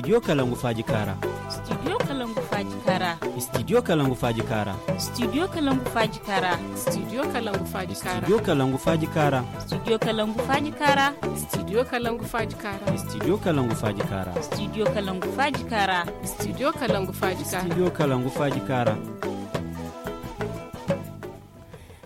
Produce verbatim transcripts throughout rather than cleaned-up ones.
Studio kalangu faaji kaara. Studio kalangu faaji kaara. Studio kalangu faaji kaara. Studio kalangu faaji kaara. Studio kalangu faaji kaara. Studio kalangu faaji kaara. Studio kalangu faaji kaara. Studio kalangu faaji kaara. Studio kalangu faaji kaara. Studio kalangu faaji kaara. Studio kalangu faaji kaara. Studio kalangu faaji kaara.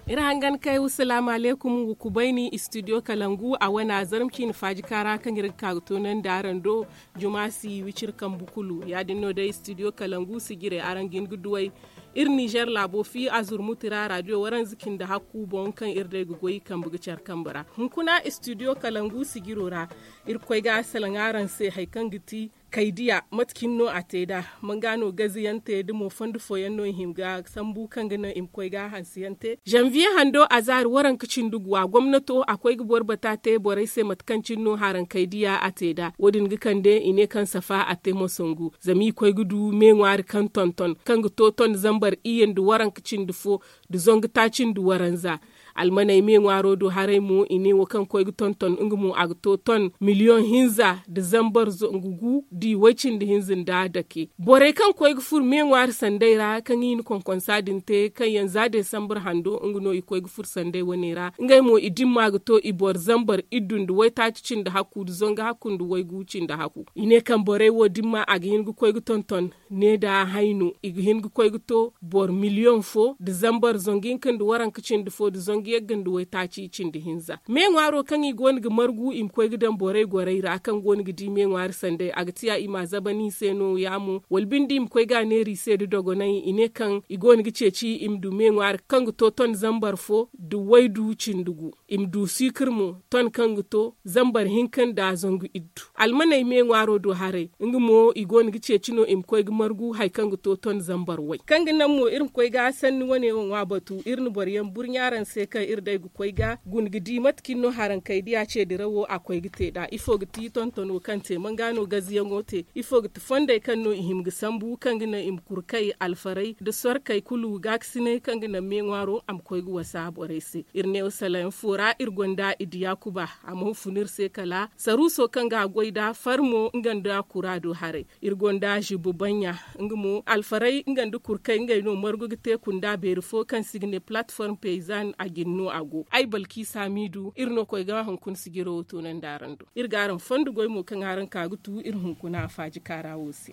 Iri hangan kay wa salaamu alaykum wa kubayni studio kalangu a wane a zarma ciine faaji kaara kaŋ iri ga ka ga toonandi araŋ do. Juma si wiciri kambu kulu ya- din no day studio kalangu sijire araŋ ga hin ga duw'ey. Iri nizer laabo fi a zurmuti ra radio waranza cindi hakku boŋ kaŋ iri day ga goy kambe ga care kambe ra hunkuna studio kalangu sijiro ra. Iri ga koy ga salaŋ araŋ se hari kaŋ ga ti kaydiya mate cine no a te nd'a? Manga no gaziyante nda mo fondo fooyaŋ no i hima ga sambu kaŋ ga naŋ i ma koy ga hansiyaŋ te? Zanviye hando a zaari waranka cindi gu a gomnato a koy ga boro bata te borey se mate kaŋ cine no haraŋ kaydiya a te nd'a wo- din ga kande i ne kaŋ safa a te mosangu zama i koy ga du me ŋwaari kaŋ tonton kaŋ ga to ton zambar iyye nda waranka cindi fo nda zangu taaci nda waranza. Almaney me ŋwaaro do haray mo i ne wo kaŋ koy ga tonton nga mo a ga to ton miliyoŋ hinza nda zambar zangu gu da i way cindi hinza nda dake borey kaŋ koy ga furo me ŋwaari sanday ra kaŋ i na konkonsa din te kaŋ yaŋ za desambar hando nga no i koy ga furo sanday wane ra ngey mo i dimma ga to i boro zambar iddu nda waytaaci cindi hakku nda zangu hakku nda waygu cindi hakku. I ne kaŋ borey wo dimma a ga hin ga koy ga tonton ne da hayno i ga hin ga koy ga to boro miliyoŋ fo nda zambar zangu hinka nda waranka cindi fo nda zangu yagga nda waytaaci cindi hinza me ŋwaaro kaŋ i go no ga margu i ma koy ga daŋ borey gorey ra kaŋ go no ga di me ŋwaari sanday a ga tiya i ma a zabani i se no- ya mo wala binde i ma koy ga a neera i se nda dogonay i ne kaŋ i go no ga ceeci i ma du me ŋwaari kaŋ ga to ton zambar fo nda waydu cindi gu. I ma du siikir mo ton kaŋ ga to zambar hinka nda zangu iddu almaney me ŋwaaro do haray nga mo i go no ga ceeci no i ma koy ga margu hari kaŋ ga to ton zambar way kaŋ ga naŋ mo iri ma koy ga sanni wane wo ŋwa batu iri na boro yaŋ burɲa araŋ se kaŋ iri day ga koy ga guna ga di mate kaŋ no haraŋ kay diya ce dirawo a koy ga te nd'a ifo ga ti tontono kaŋ te manga no gaziyaŋo te ifo ga ti fondey kaŋ no i hima ga sambu kaŋ ga naŋ i ma kurkay alfaray nda sorkey kulu gaakasinay kaŋ ga naŋ me ŋwaaro a ma koy ga wasa borey se. Iri ne wa salayaŋ fo ra iri gonda i diya kuba a ma hufu no iri se kala saruuso kaŋ ga a goy nd'a farmo nga nda kura do haray. Iri gonda zibu baɲɲa nga mo alfaray nga nda kurkay ngey no margu ga te kunda beeri fo kaŋ se i ga ne platform payzan a jine no a go ay balki saamiidu iri no koy ga hunkuna sijiro wo toonandi araŋ do iri ga araŋ fondo goy mo kaŋ araŋ ka ga tu iri hunkuna faaji kaara wo se.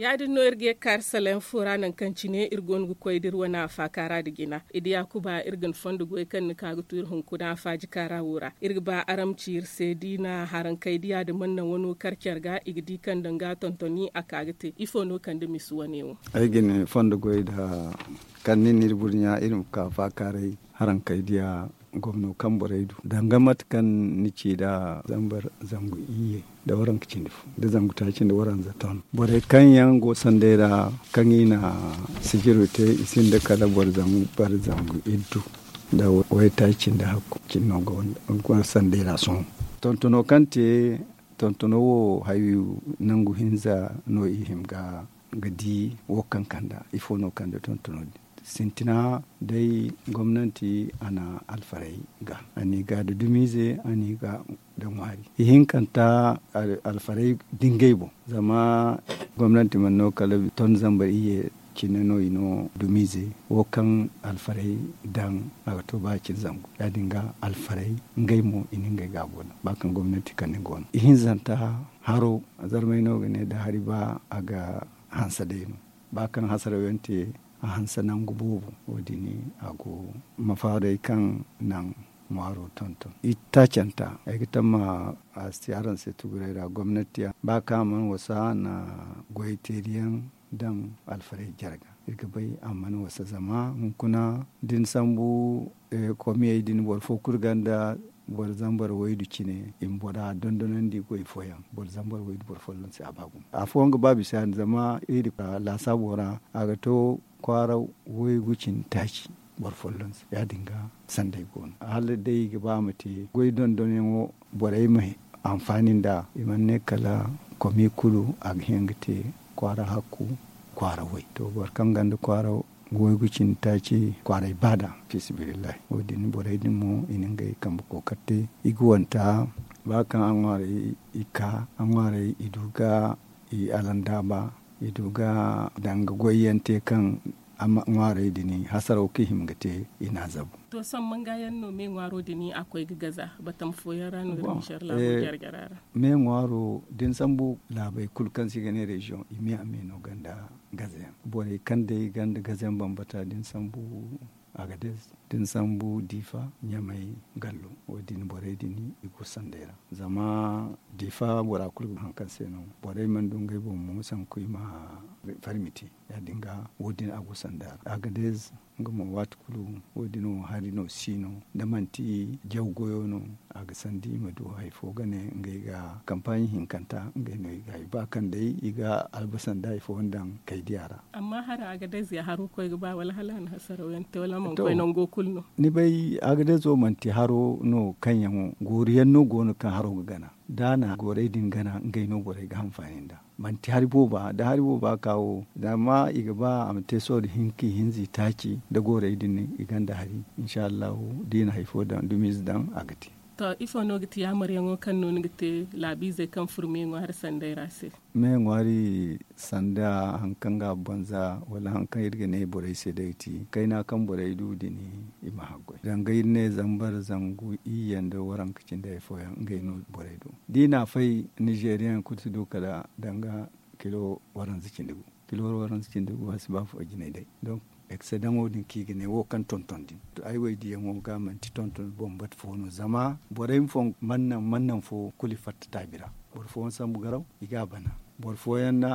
Ya- din no iri ga ye ga kaari salayaŋ fo ra nangu kaŋ cine iri go no ga koy da iri wane afaakaara nda jina i diya kuba iri ga ni fondo goy kaŋ ni ka ga tu iri hunkuna faaji kaara wo ra iri ga ba araŋ ma ci iri se da i na haraŋ kay diya nda mana naŋ wano kar care ga i ga di kaŋ danga tontoni a ka ga te ifo no kande misi wane wo? Ay ga ni fondo goy nda kaŋ ni na iri burɲa iri ma ka faakaaray haraŋ kay diya gomno kaŋ borey du danga mate kaŋ ni ci nd'a zambar zangu iyye nda waranka cindi fo nda zangu taaci nda waranza ton borey kaŋ yaŋ go sanday ra kaŋ i na sijiro te i sinda kala boro zambar zangu iddu nda waytaaci cindi hakku cine no go sanday ra sohõ. Tontono kaŋ te tontono wo hayo nangu hinza no i hima ga di wo kaŋ kanda ifo no kande tontono din sintina day gomnanti a na alfaray ga a n'i ga nda dumiize a n'i ga nda ŋwaari ihinkanta alfaray da ngey boŋ zama gomnanti mana no kala ton zambar iyye cine no i no dumiize wo kaŋ alfaray daŋ a ga to ba cine zangu ya- din ga alfaray ngey mo i na ngey ga a go no ba kaŋ gomnanti kande go no ihinzanta haro zarmay no ga ne da hari ba a ga hanse day no ba kaŋ hasaraw yaŋ te a hanse nangu boobo wo- din a go mafaaray kaŋ naŋ ŋwaaro tonton itaacanta ay ga tamma a si te araŋ se tuguray ra gomnati yaŋ ba kaŋ a mana wasa a na goyteeriyaŋ daŋ alfaray jarga iri ga bay a mana wasa zama hunkuna da ni sambu komiyey din boro fo kulu gonda boro zambar waydu cine i ma bora dondonandi goy fooyaŋ boro zambar waydu boro folloŋ se a ba gumo afooyaŋ ga ba bisa ya- din zama iri laasaabo ra a ga to kwaara waygu cine taaci boro folloŋ se ya- din ga sanday go no hala day i ga ba a ma te goy dondonyaŋo borey ma anfaani nd'a i mana ne kala komi kulu a ga hin ga te kwaara hakku kwaara way. To, boro kaŋ gonda kwaara waygu cindi taaci, kwaaray baada, fi sabilillahi. Wo- din borey din mo i na ngey kambe kookari te. I ga wanta ba kaŋ a ŋwaaray i ka a ŋwaaray i du ga i alandaaba, i du ga danga goyyaŋ te kaŋ ŋwaarey din hasaraw kaŋ i hima ga te i n'a zabu. To, sohõ manga yaŋ no me ŋwaaro din a koy ga gaza? Batam fooyaŋ ra no iri ma care laabo jare-jare ra. Me ŋwaaro da ni sambu laabey kulu kaŋ se i ga ne reziyoŋ, i me a me no ganda gazayaŋ. Borey kaŋ day ganda gazayaŋ bambata da ni sambu agadez, da ni sambu diifa, ɲamay, gallo, wo- din borey din i go sanday ra. Zama diifa bora kulu ga haŋ kaŋ se no borey mana du ngey boŋ mo sanku i ma farmiti. Ya- din ga wo- din a go sanda ra agadez, nga mo waati kulu wo- din wo hari no si no da manti jaw goyo no. A ga sandi i ma du hari fo ga ne ngey ga kampaaɲi hinkanta ngey no i ga hari ba kaŋ day i ga albasa nda hari fo daŋ kay diya ra. Amma haro agadez ya haro koy ga ba wala hala a na hasaraw yaŋ te wala a mana koy nango kulu no? Ni bay, agadezo manti haro no kaŋ yaŋo goori yaŋ no go no kaŋ haro ga gana. Da a na goorey din gana ngey no borey ga hanfaani nda manti hari booba da hari booba ka wo. Zama i ga ba a ma te sohõ da hinka i hinza i taaci da goorey din i gonda hari. Insa allahu da i na hari fo daŋ dumiize daŋ a ga te. To, ifo no ga ti yaamaryaŋo kaŋ no ni ga te laabiizey kaŋ furo me ŋwaari sanday ra se? Me ŋwaari sanda hari kaŋ ga a banza wala hari kaŋ iri ga ne borey se day ga ti kayna kaŋ borey du din i ma haggoy danga iri ne zambar zangu iyye nda waranka cindi hari fooyaŋ ngey no borey du. Da i na a fay nizeeriyaŋ kulu si du kala danga kilo waranza cindi gu. Kilo waranza cindi gu a si ba fo jinay day. Donk eksedaŋo din kaŋ i ga ne wo kaŋ tonton din to ay wo ay diyaŋo ga manti tonton bambata fo no zama borey ma fo man naŋ man naŋ fo kulu i fatta taabi ra. Boro fooyaŋ sambu garaw i ga a bana. Boro fooyaŋ na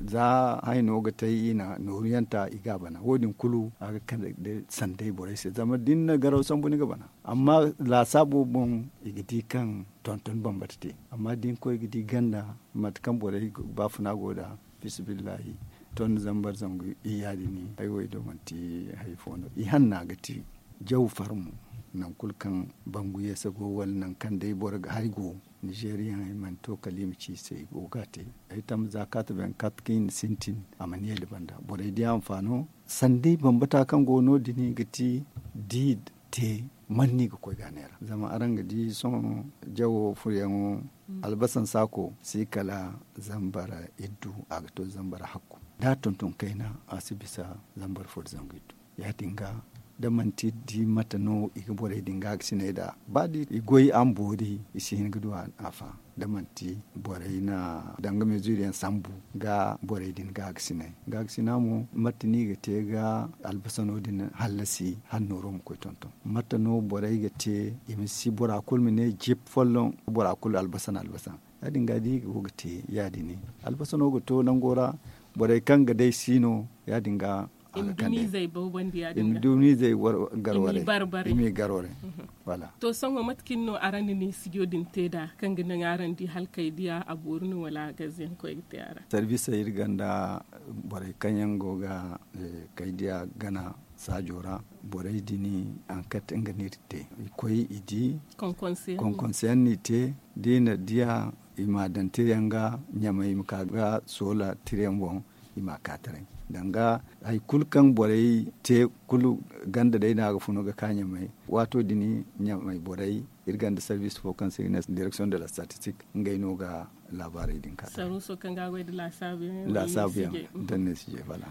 za hayno ga te i na nooru yaŋ ta i ga a bana wo- din kulu a ga kande sanday borey se zama da ni na garaw sambu ni ga bana. Amma laasaabo boŋ i ga di kaŋ tonton bambata te. Amma da ni koy ga di ganda mate kaŋ borey baafuna go nd'a, fisabillahi ton zambar zangu iyya din ay wo ay do manti hari fo no i hanna ga te. Jaw farmo nangu kulu kaŋ bangu yeese go wala nangu kaŋ day boro ga hari go. Nizeeriyaŋ ay mana to kala i ma ci i se i go ga a te. Ay tamma za kaati beŋ kaati kaŋ i na sintin a mana yeeli banda borey di a ma faano. Sanday bambata kaŋ go no- din ga ti da i te man no i ga koy ga a neera zama araŋ ga di sohõ jawo furyaŋo albasan saako si kala zambar iddu a ga to zambar hakku. Da a tonton kayna a si bisa zambar fo da zangu iddu. Ya- din ga da manti da i mate no i ga borey din ga a ga sinay nd'a ba da i goy a ma boori i si hin ga du a fa da manti borey na danga mezuriyaŋ sambu ga borey din ga a ga sinay. Ga a ga sina mo mate no i ga te ga albasano din hallasi hala nooro ma koy tonton mate no borey ga te i ma si bora kulu ma ne jip folloŋ bora kulu albasan albasan. Ya- din ga da i go ga te ya- din albasano ga to nango ra borey kaŋ ga day si no ya- din ga i ma du miizey gar waray i m'i gar waray. Wala to sohõ mate kaŋ no araŋ na ni sijo din te nd'a kaŋ ga naŋ araŋ di hala kay diya a boori no wala a gaze yaŋ koy ga te a ra? Sarbisey iri gonda borey kaŋ yaŋ go ga kay diya gana saajo ra borey din ankat nga no iri te i koy i di konkonse yaŋ no i te. Da i na diya i m'a daŋ tirayaŋ ga ɲamay i ma ka ga soola tirayaŋ boŋ i m'a ka taray danga hari kulu kaŋ borey te kulu ganda day no a ga funu ga ka ɲamay. Waato din ɲamay borey iri gonda sarbiis fo kaŋ se i ga ne direksiyoŋ de la statistik ngey no ga laabaarey din ka taray. Sarbiiso kaŋ ga a goy nda laasaabu yaŋ da ni ne sije fala.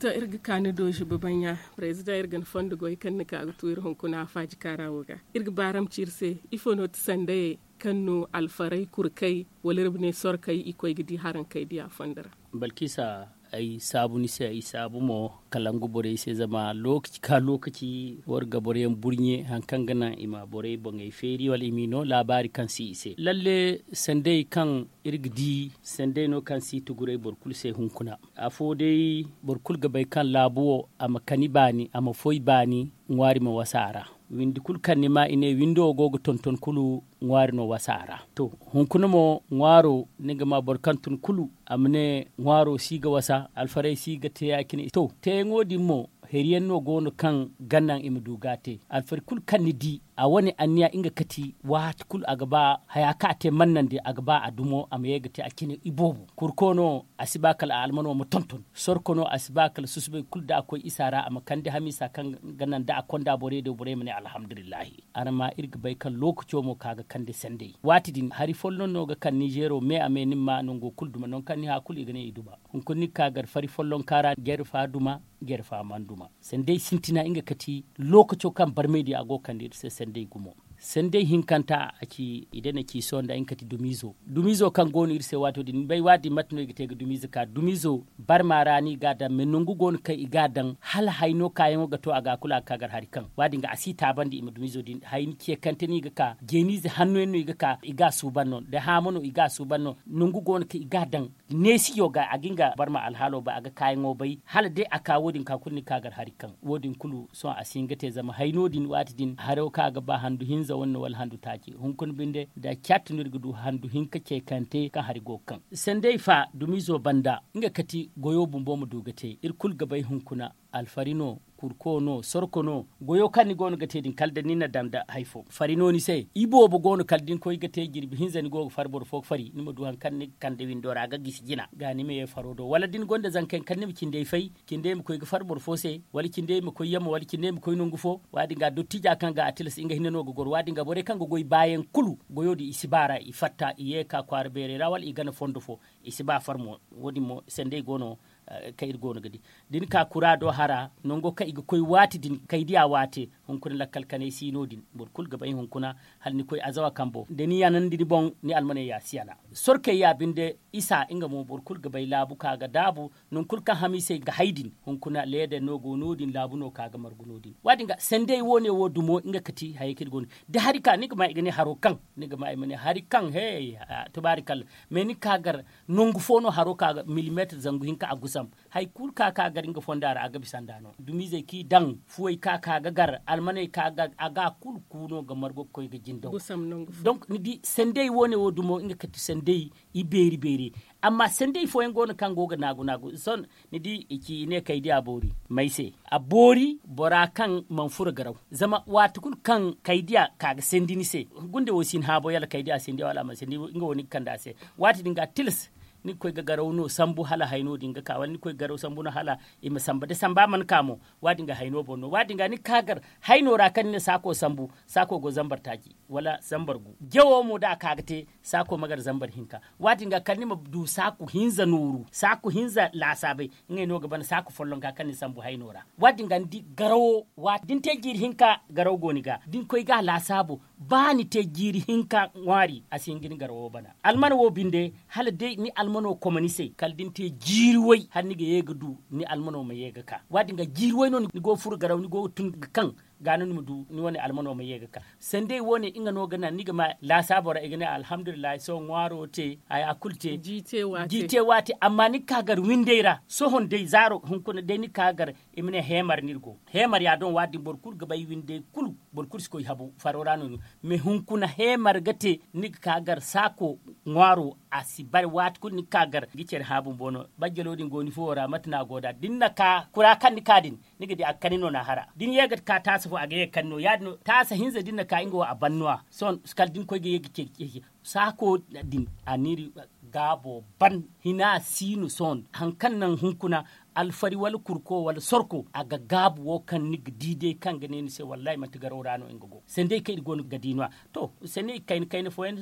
To iri ga ka ni do ziba baɲɲa. Parezidaŋ iri ga ni fondo goy kaŋ ni ka ga tu iri hunkuna faaji kaara wo ga iri ga baaram ci iri se ifo no ti sandayey kaŋ no alfarey kurkey wala iri ma ne sorkey i koy ga di haraŋ kay diya fondo ra? Balkisa ay saabu ni se ay saabu mo kalangu borey se zama lookaci ka lookaci war ga boroyaŋ burɲe hari kaŋ ga naŋ i ma borey boŋey feeri wala i m'i no laabaari kaŋ si i se lalle sandey kaŋ iri ga di sandey no kaŋ si i tuguray boro kulu se hunkuna. Afo day boro kulu ga bay kaŋ laabu wo a ma kani baani a ma foy baani ŋwaari ma wasa a ra. Windi kulu kaŋ ni ma i ne windo wo go ga tonton kulu ŋwaari no wasa a ra. To hunkuna mo ŋwaaro ni ga ma boro kaŋ tun kulu a ma ne ŋwaaro si ga wasa alfarey si ga te ya- cine to teeyaŋo din mo heri yaŋ no go no kaŋ ga naŋ i ma du ga a te alfari kulu kaŋ ni di. a wane anniya nga kati waati kulu a ga ba haya kaŋ a te mannandi a ga ba a dumo a ma ye ga te a cine iboobo. Kurko no a si ba kala a almano ma tonton. Sorko no a si ba kala susubay kulu da a koy isa ra a ma kande hamiisa kaŋ ga naŋ da a konda borey do borey ma ne alhamdulillahi. Araŋ ma iri ga bay kaŋ lookaco mo ka ga kande sanday waati din hari folloŋ no ga kaŋ nizeero me a me ni ma ma nango kulu duma nangu kaŋ ni hã kulu i ga ne i duma. Hunkuna ni ga ka gar fari follonka ra jare fa duma. Jare fa mana duma. Sanday sintina nga kati lookaco kaŋ barmay din a go ga kande iri se sanday gumo. Sanday hinkanta a ci i dana ci sohõ nda nga kati dumiizo. Dumiizo kaŋ go no iri se waato din ni bay waati din mate no i ga te ga dumiizo ka dumiizo barma ra no i ga a daŋ me nangu go no kaŋ i ga a daŋ hala hayno kaayaŋo ga to a ga kulu a ga ka gar hari kaŋ waati din ga a si taabandi i ma dumiizo din hayni ceekante no i ga ka jeeniize hanno yaŋ no i ga ka i ga a suuban no da haama no i ga a suuban no. Nangu go no kaŋ i ga a daŋ neesiyo ga a ga nga barma alhaalo bay a ga kaayaŋo bay hala day a ka wo- din ka kulu ni ga ka gar hari kaŋ wo- din kulu sohõ a si hin ga te zama hayno din waati din haro kaŋ a ga ba handu hinza wane no wala handu taaci hunkuna binde da caati no iri ga du handu hinka ceekante kaŋ hari go ga kaŋ sanday fa dumiizo banda. Nga kati goyo bumbo ma du ga te iri kulu ga bay hunkuna alfari no, kurko no, sorko no. Goyo kaŋ ni go no ga te din kala da ni na daŋ da hari fo fari no ni se iboobo go no kala da ni koy ga te jirbi hinza ni go ga fari boro fo ga fari ni ma du hari kaŋ ni ga kande windo ra ga gisi jina ga ni ma ye faro do wala da ni gonda zanka yaŋ kala ni ma cindey fay cindey ma koy ga fari boro fo se wala cindey ma koy yamma wala cindey ma koy nangu fo. Waati din ga dottiija kaŋ ga a tilas nga hinne no ga goro waati din ga borey kaŋ ga goy baayaŋ kulu goyo din i si ba ra i fatta i ye ga ka kwaara beerey ra wala i gana fondo fo. I si ba far mo wo- din mo sanday go no kaŋ iri go no ga di da ni ka kura do hara nango kaŋ i ga koy waati din kay diya waate. Hunkuna lakkal kanay si no- din boro kulu ga bay hunkuna hala ni koy azawa kambo da ni yanandi ni boŋ ni almaney ya si yana. Sorkey ya binde isa nga mo boro kulu ga bay laabu ka ga daabu nangu kulu kaŋ hamiisey ga hay din hunkuna leeder no go no- din laabu no ka ga margu no- din waati din ga sanday wo- ne wo dumo nga kati hayey kaŋ iri go no da hari ka ni ga ma i ga ne haro kaŋ ni ga ma i ma ne hari kaŋ he tubaari kalla. Mais ni ga ka gar nangu fo no haro ka ga milimeetir zangu hinka a gusam hari kulu ka ka gar nga fonda ra a ga bisa nd'a no dumiizey kaŋ i daŋ fuwey ka ka ga gar almaney ka ga a ga kulu ku no ga margu ga koy ga jindaw. Donc ni di sanday wo- ne wo dumo nga kati sanday i beeri beeri. Amma sanday fooyaŋ go no kaŋ go ga naagu naagu sohõ ni di i ci i ne kay diya boori may se a boori bora kaŋ mana furo garaw. Zama waati kulu kaŋ kay diya ka ga sandi ni se gunda wo si ni haabo yala kay diya sandi wala a mana sandi nga wo ni ga kande a se. Waati din ga tilas ni ga koy ga garaw no sambu hala hayno din ga ka wala ni ga koy ga garaw sambu no hala i ma samba da samba mana ka mo. Waati din ga hayno boŋ no waati din ga ni ga ka gar hayno ra kaŋ ni na saako sambu saako go zambar taaci wala zambar gu jawo mo da a ka ga te saako ma gar zambar hinka. Waati din ga kala ni ma du saaku hinza nooru saaku hinza laasaabay ngey no ga ban saaku follonka kaŋ ni sambu hayno ra. Waati din ga ni di garawo waati da ni te jiiri hinka garawo go ni ga da ni koy ga a laasaabo ba ni te jiiri hinka ŋwaari a si hin ga ni garawo bana. Almana wo binde hala day ni almano koma ni se kala da ni te jiiri way hala ni ga ye ga du ni almano ma ye ga ka waati din ga jiiri way no ni go ga furo garawo ni go ga tun ga kaŋ ga no ni ma du ni wane almano ma ye ga ka. Sanday wo- ne nga no ga naŋ ni ga ma laasaabo ra i ga ne alhamdulillahi sohõ ŋwaaro te haya kulu te. Ji te waate amma ni ga ka gar windey ra sohõ day zaaro hunkuna day ni ga ka gar i ma ne heemar no iri go. Heemar ya doŋ waati din boro kulu ga bay windey kulu boro kulu si koy habu faro ra no ni go. Mais hunkuna heemar ga te ni ga ka gar saako ŋwaaro a si bare waati kulu ni ga ka gar ga care hã bumbo no bajjalo din go ni fuwo ra mate no a go nd'a da ni na ka kura kaŋ ni ka din ni ga di a ga kani no na hara da ni ye ga ka taasa fo a ga ye ga kani no ya- din no taasa hinza da ni na ka nga wo a ban no- ya sohõ kala da ni koy ga ye ga ce saako din a n'iri gaabo ban hina si no sohõ hari kaŋ naŋ hunkuna alfari wala kurko wala sorko a ga gaabu wo kaŋ ni ga di day kaŋ ga ne ni se wallahi manti garaw ra no nga go sanday kaŋ iri go no ga di no- ya to sanday kayna kayna fooyaŋ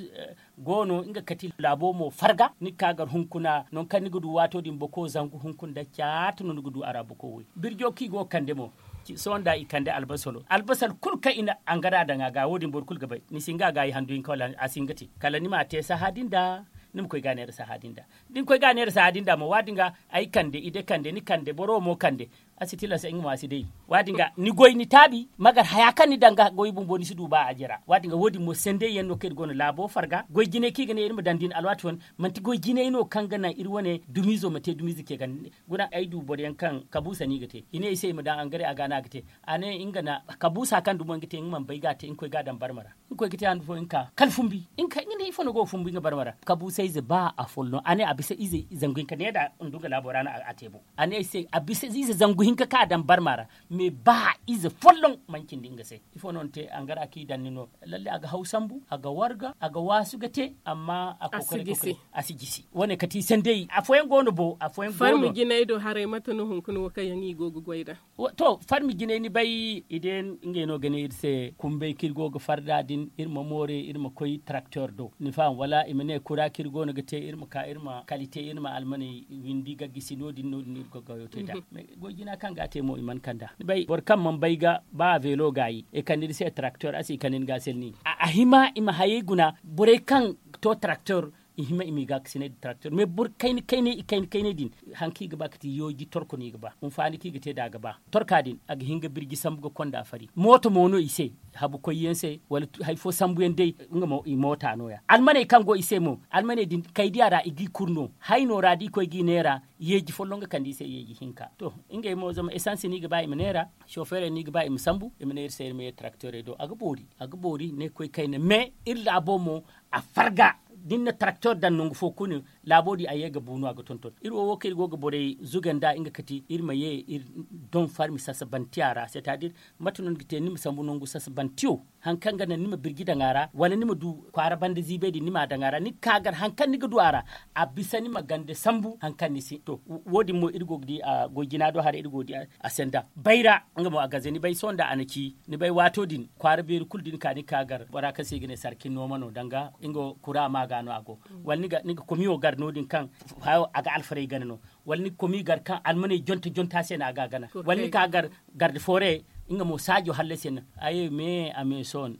go no nga kati laabo mo farga ni ga ka gar hunkuna nangu kaŋ ni ga du waato din boko zangu hunkuna da caati no ni ga du a ra boko way birjo kaŋ i go ga kande mo. Sohõ nda i kande albasalo albasal kulu kaŋ i na angara daŋ a ga wo- din boro kulu ga bay ni si hin ga a ga i handu hinka wala a si hin ga te kala ni ma a te sahã din da ni ma koy ga a neera sahã din da da ni koy ga a neera sahã din da mo waati din ga ay kande i de kande ni kande boro wo mo kande a si tilas ay nga mo a si day. Waati din ga ni goy ni taabi magar haya kaŋ ni daŋ ga goy bumbo ni si du ba a jara waati din ga wo- din mo sanday yaŋ no kaŋ iri go no laabo farga goy jinay kaŋ i ga ne iri ma daŋ din alwaati wane manti goy jinay no kaŋ ga naŋ iri wane dumiizo ma te dumiize ce ganda guna ay du boro yaŋ kaŋ kabuusa no i ga te i ne ay se i ma daŋ angare a ga no a ga te a ne nga na kabuusa kaŋ dumo nga te nga mana bay ga a te nga koy ga a daŋ barma ra nga koy ga te handu fo nga ka kala fumbi nga ne ifo no go ga fumbi nga barma ra kabuusayze ba afol no a ne a bisa ize zangu hinka ne da ndu nga laabo ra no a te bo a ne ay se a bisa ize zangu Hinka kaŋ a daŋ barma ra. Mais ba ize folloŋ mana cindi nga se. Ifo no ni te angara kaŋ i daŋ ni no? Lalle a ga haw sambu, a ga warga, a ga waasu ga te. Amma a kookari a si jisi. Wo- ne kati sandey afooyaŋ go no bo afooyaŋ go no. Farmi jinay do haray mate no hunkuna wo kaŋ yaŋ i go ga goy nd'a? To farmi jinay ni bay i day ngey no ga ne iri se kumbay kaŋ iri go ga farda din iri ma moore iri ma koy taraktor do ni faham wala i ma ne kura kaŋ iri go no ga te iri ma ka iri ma kalite iri ma almaney windi ga gisi no- din no- din iri go ga goyo te nd'a. Goy jina kaŋ ga a te mo i mana kand'a ni bay boro kaŋ mana bay ga ba a veelo gaayi i kande ni se taraktor a si i kande ni ga a selni. A hima i ma hayey guna borey kaŋ to taraktor i hima i m'i gaakasinay nda taraktor mais boro kayna kaynay i kayna kaynay din. Hari kaŋ i ga ba ga ti yooji torko no i ga ba hinfaani kaŋ i ga te nd'a ga ba torka din a ga hin ga birji sambu ga konda fari mooto mo no i se. Habu koyyaŋ se wala hari fo sambuyaŋ day nga mo i moota no- ya almaney kaŋ go i se mo almaney din kaydiya ra i g'i kuru no hayno ra da i koy g'i neera. Yeeji folloŋ ga kande i se yeeji hinka to ngey mo zama esansi no i ga ba i ma neera. Sofeerey no i ga ba i ma sambu i ma ne iri se iri ma ye tarakteerey do a ga boori. A ga boori ne koy kayna mais iri laabo mo a farga da ni na tarakteer daŋ nangu fo kulu. Laabo din a ye ga bu no a ga tonton iri wo wo kaŋ iri go ga borey zuga nd'a nga kati iri ma ye iri doŋ farmi sasabantiya ra c'est à dire mate no ni ga te ni ma sambu nangu sasabantiyo. Hari kaŋ ga naŋ ni ma birji daŋ a ra wala ni ma du kwaara banda ziibay din ni m'a daŋ a ra ni ga ka gar hari kaŋ ni ga du a ra. A bisa ni ma gande sambu hari kaŋ ni si to wo- din mo iri go ga di a goy jina do haray iri go ga di a senda bayra. Nga mo a gaze ni bay sohõ nda a na ci ni bay waato din kwaara beeri kulu da ni ka ni ga ka gar bora kaŋ se i ga ne sarkin nooma no danga nga kura ma ga no a go. Wala ni ga komiyo gar no- din kaŋ hayo a ga alfarey gana no. Wala ni ga komiyo gar kaŋ almaney jonta jonta se no a ga a gana wala ni ga ka gar garde foore. Nga mo saajo hallasi yaŋ no a ye me a me sohõ.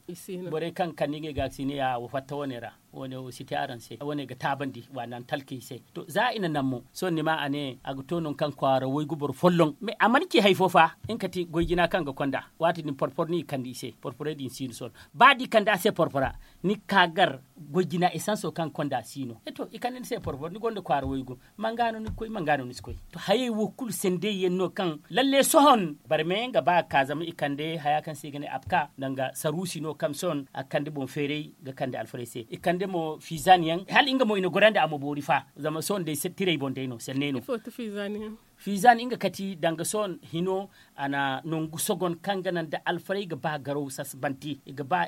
Borey kaŋ ga kande ngey ga ga si ne ya wo fatta wane ra. Wane wo si te araŋ se wane ga taabandi waana ni talkey se. To za i na naŋ mo sohõ ni ma a ne a ga to nangu kaŋ kwaara waygu boro folloŋ mais a mana ci hari fo fa. Nga kati goy jina kaŋ ga konda waati din porporo no i kande i se porporey din si no sohõ. Ba da i kande a se porpora ni ga ka gar goy jina esanso kaŋ ga konda si no. To i kande ni se porporo ni gonda kwaara waygu. Manga no ni ga koy manga no ni si koy. To hayey wo kulu sendey yaŋ no kaŋ lalle sohõ barmeyaŋ ga ba ga ka zama i kande haya kaŋ se i ga ne apka danga saruusi no kaŋ sohõ a ga kande boŋ feeray ga kande alfarey se i kande mo fiizan yaŋ hala nga mo i na gorandi a ma boori fa. Zama sohõ day tirey boŋ day no senney no. Fiizan nga kati danga sohõ hino a na nangu sogon kaŋ ga naŋ da alfarey ga ba garaw sasabante i ga ba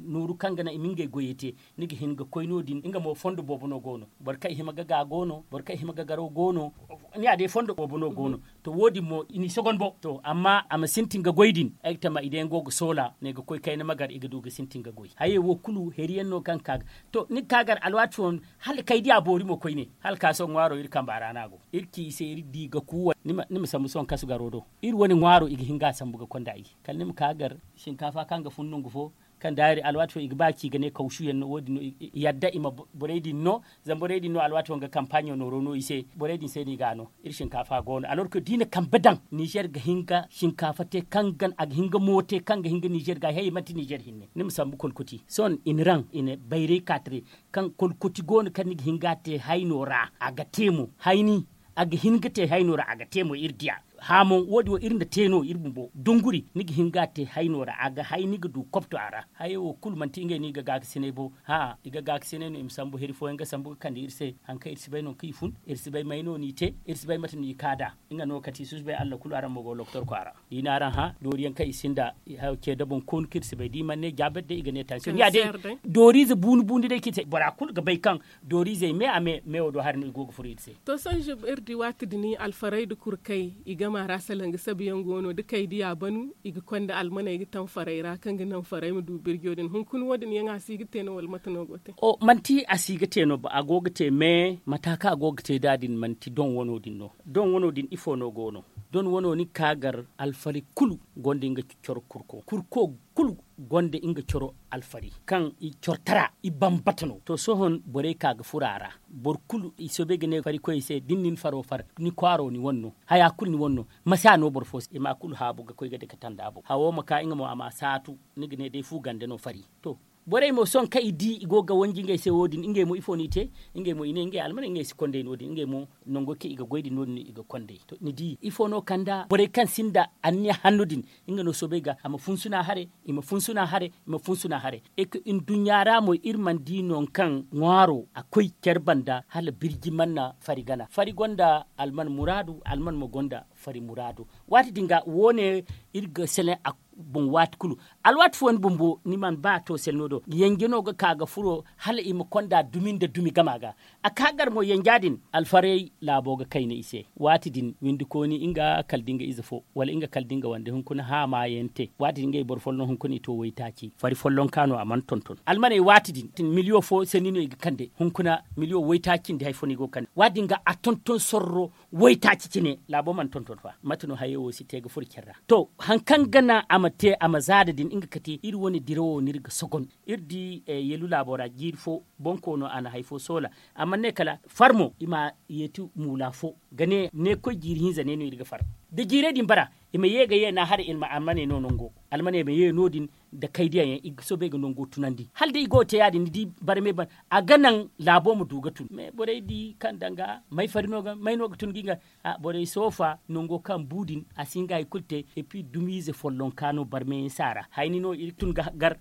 nooru kaŋ ga naŋ i ma ngey goyey te. Ni ga hin ga koy no- din nga mo fondo boobo no go no. Boro kaŋ i hima ga ga go no boro kaŋ i hima ga garaw go no. Ni ya day fondo boobo no go no. To wo- din mo i n'i sogon bo to amma a ma sintin ga goy din ay ga tama i day yaŋ go ga soola ne ga koy kayna magar i ga du ga sintin ga goy hayey wo kulu heri yaŋ no kaŋ ga ka ga to ni ga ka gar alwaati fooyaŋ hala kay diya boori mo koyne hala ka sohõ ŋwaaro iri kamba ra no a go. Iri ci i se iri di ga kuuwa ni ma sambu sohõ kasu garo do. Iri wane ŋwaaro i ga hin ga a sambu ga konda i kala ni ma ka gar sinkaafa kaŋ ga fun nangu fo. Kaŋ daayir alwaati fo i ga ba ci ga ne kawsu yaŋ no wo- din no i yadda i ma borey din no. Zama borey din no alwaati fo nga kampaaɲo nooro no i se borey din se no i ga a no. Iri sinkaafa go no alorko da i na kambe daŋ nizer ga hin ga sinkaafa te kaŋ ga a ga hin ga mo te kaŋ ga hin ga nizer ga hayey manti nizer hinne ni ma sambu kolkoti sohõ i na raŋ i na bayray kaatare. Kaŋ kolkoti go no kaŋ ni ga hin ga a te hayno ra a ga te mo hayni a ga hin ga te hayno ra a ga te mo iri diya. Haamoŋ wo- din wo iri na te no iri bumbo dunguri ni ga hin ga a te hayno ra a ga hay ni ga du kopto a ra. Hayey wo kulu manti ngey no i ga gaakasinay bo. Hã i ga gaakasinay no i ma sambu heri fooyaŋ ga sambu ga kande iri se. Hari kaŋ iri si bay nangu kaŋ i fun iri si bay may no n'i te iri si bay mate no i ka nd'a. Nga no kati susubay allah kulu araŋ ma go loktor kwaara. Da i na araŋ hã dooriyaŋ kaŋ i sinda hayo ce da boŋ koonu kaŋ iri si bay da i mana ne jaabir day i ga ne tansiyoŋ ni ya day. Dooriize buuni buuni day kaŋ i te bora kulu ga bay kaŋ dooriizey me a me meewo do hari no i go ga furo iri se. To sohõ iri di waati din alfarey nda kurkey i gama ra salaŋ ga sabu yaŋ go no da kay diya banu i ga konda almaney ga taŋ farey ra kaŋ ga naŋ farey ma du birjo din hunkuna wo- din yaŋ a si ga te no wala mate no go te? Manti a si ga te no a go ga te me mata kaŋ a go ga te nd'a din manti doŋ wano din no. Doŋ wano din ifo no go no? Doŋ wano ni ga ka gar alfarey kulu gonda nga coro kurko kurko kulu gonda nga coro alfarey kaŋ i coro tara i bambata no to sohõ borey ka ga furo a ra. Boro kulu i soobay ga ne farikoyey se da ni na ni faro far ni kwaaro ni wane no. Haya kulu ni wane no. Masi a no boro fo se i ma kulu haabu ga koy ga dake tanda boŋ hawo ma ka nga mo a ma saatu. Ni ga ne day fu gande no fari to. Borey mo sohõ kaŋ i di i go ga wanji ngey se wo- din ngey mo ifo no i te? Ngey mo i ne ngey almaney ngey si konday no- din ngey mo nango kaŋ i ga goy din no- din no i ga konday. To ni di ifo no kand'a borey kaŋ sinda anniya hanno din? Nga no soobay ga a ma funsuna hare, i ma funsuna hare, i ma funsuna hare. Eka nduɲɲa ra mo iri mana di nangu kaŋ ŋwaaro a koy care banda hala birji mana fari gana fari gonda alman muraadu alman mo gonda fari muraadu. Waati din ga wo- ne iri ga selaŋ a boŋ waati kulu. Alwaati fooyaŋ bumbo ni mana ba a to selaŋo do yanje no ga ka ga furo hala i ma konda dumi nda dumi gama ga. A ka gar mo yanja din alfarey laabo ga kayna i se. Waati din windikooni nga kala da nga ize fo wala nga kala da nga wande hunkuna haama yaŋ te. Waati din ngey boro folloŋ hunkuna i to waytaaci fari follonka no a mana tonton almaney waati din. Miliyo fo sanni no i ga kande hunkuna miliyo waytaaci nda hari fo no i go ga kande waati din ga a tonton sorro. Waytaaci cine laabo mana tonton fa mate no hayo wo si te ga furo care ra. To hari kaŋ ga naŋ a ma te a ma zaada din nga kate iri wane dirawo no iri ga sogon. Iri di yeelu laabo ra jiiri fo bonkoono a na hari fo soola. A mana ne kala far mo i ma yeeti muula fo ga ne ne koy jiiri hinza ne no iri ga far. Da jiirey din bara i ma ye ga ye no a hare i ma almaney no nango. Almaney ma ye no- din nda kaydiyaŋ yaŋ i ga soobay ga nango tunandi hala da i go ga te ya- din ni di barmey ban a ga naŋ laabo ma du ga tun me borey di kaŋ danga may fari no ga may no ga tun ga i ga. Borey soofa nango kaŋ bu din a si hin ga hari kulu te. Epi dumiize follonka no barmey yaŋ si a ra hayni no iri tun ga gar.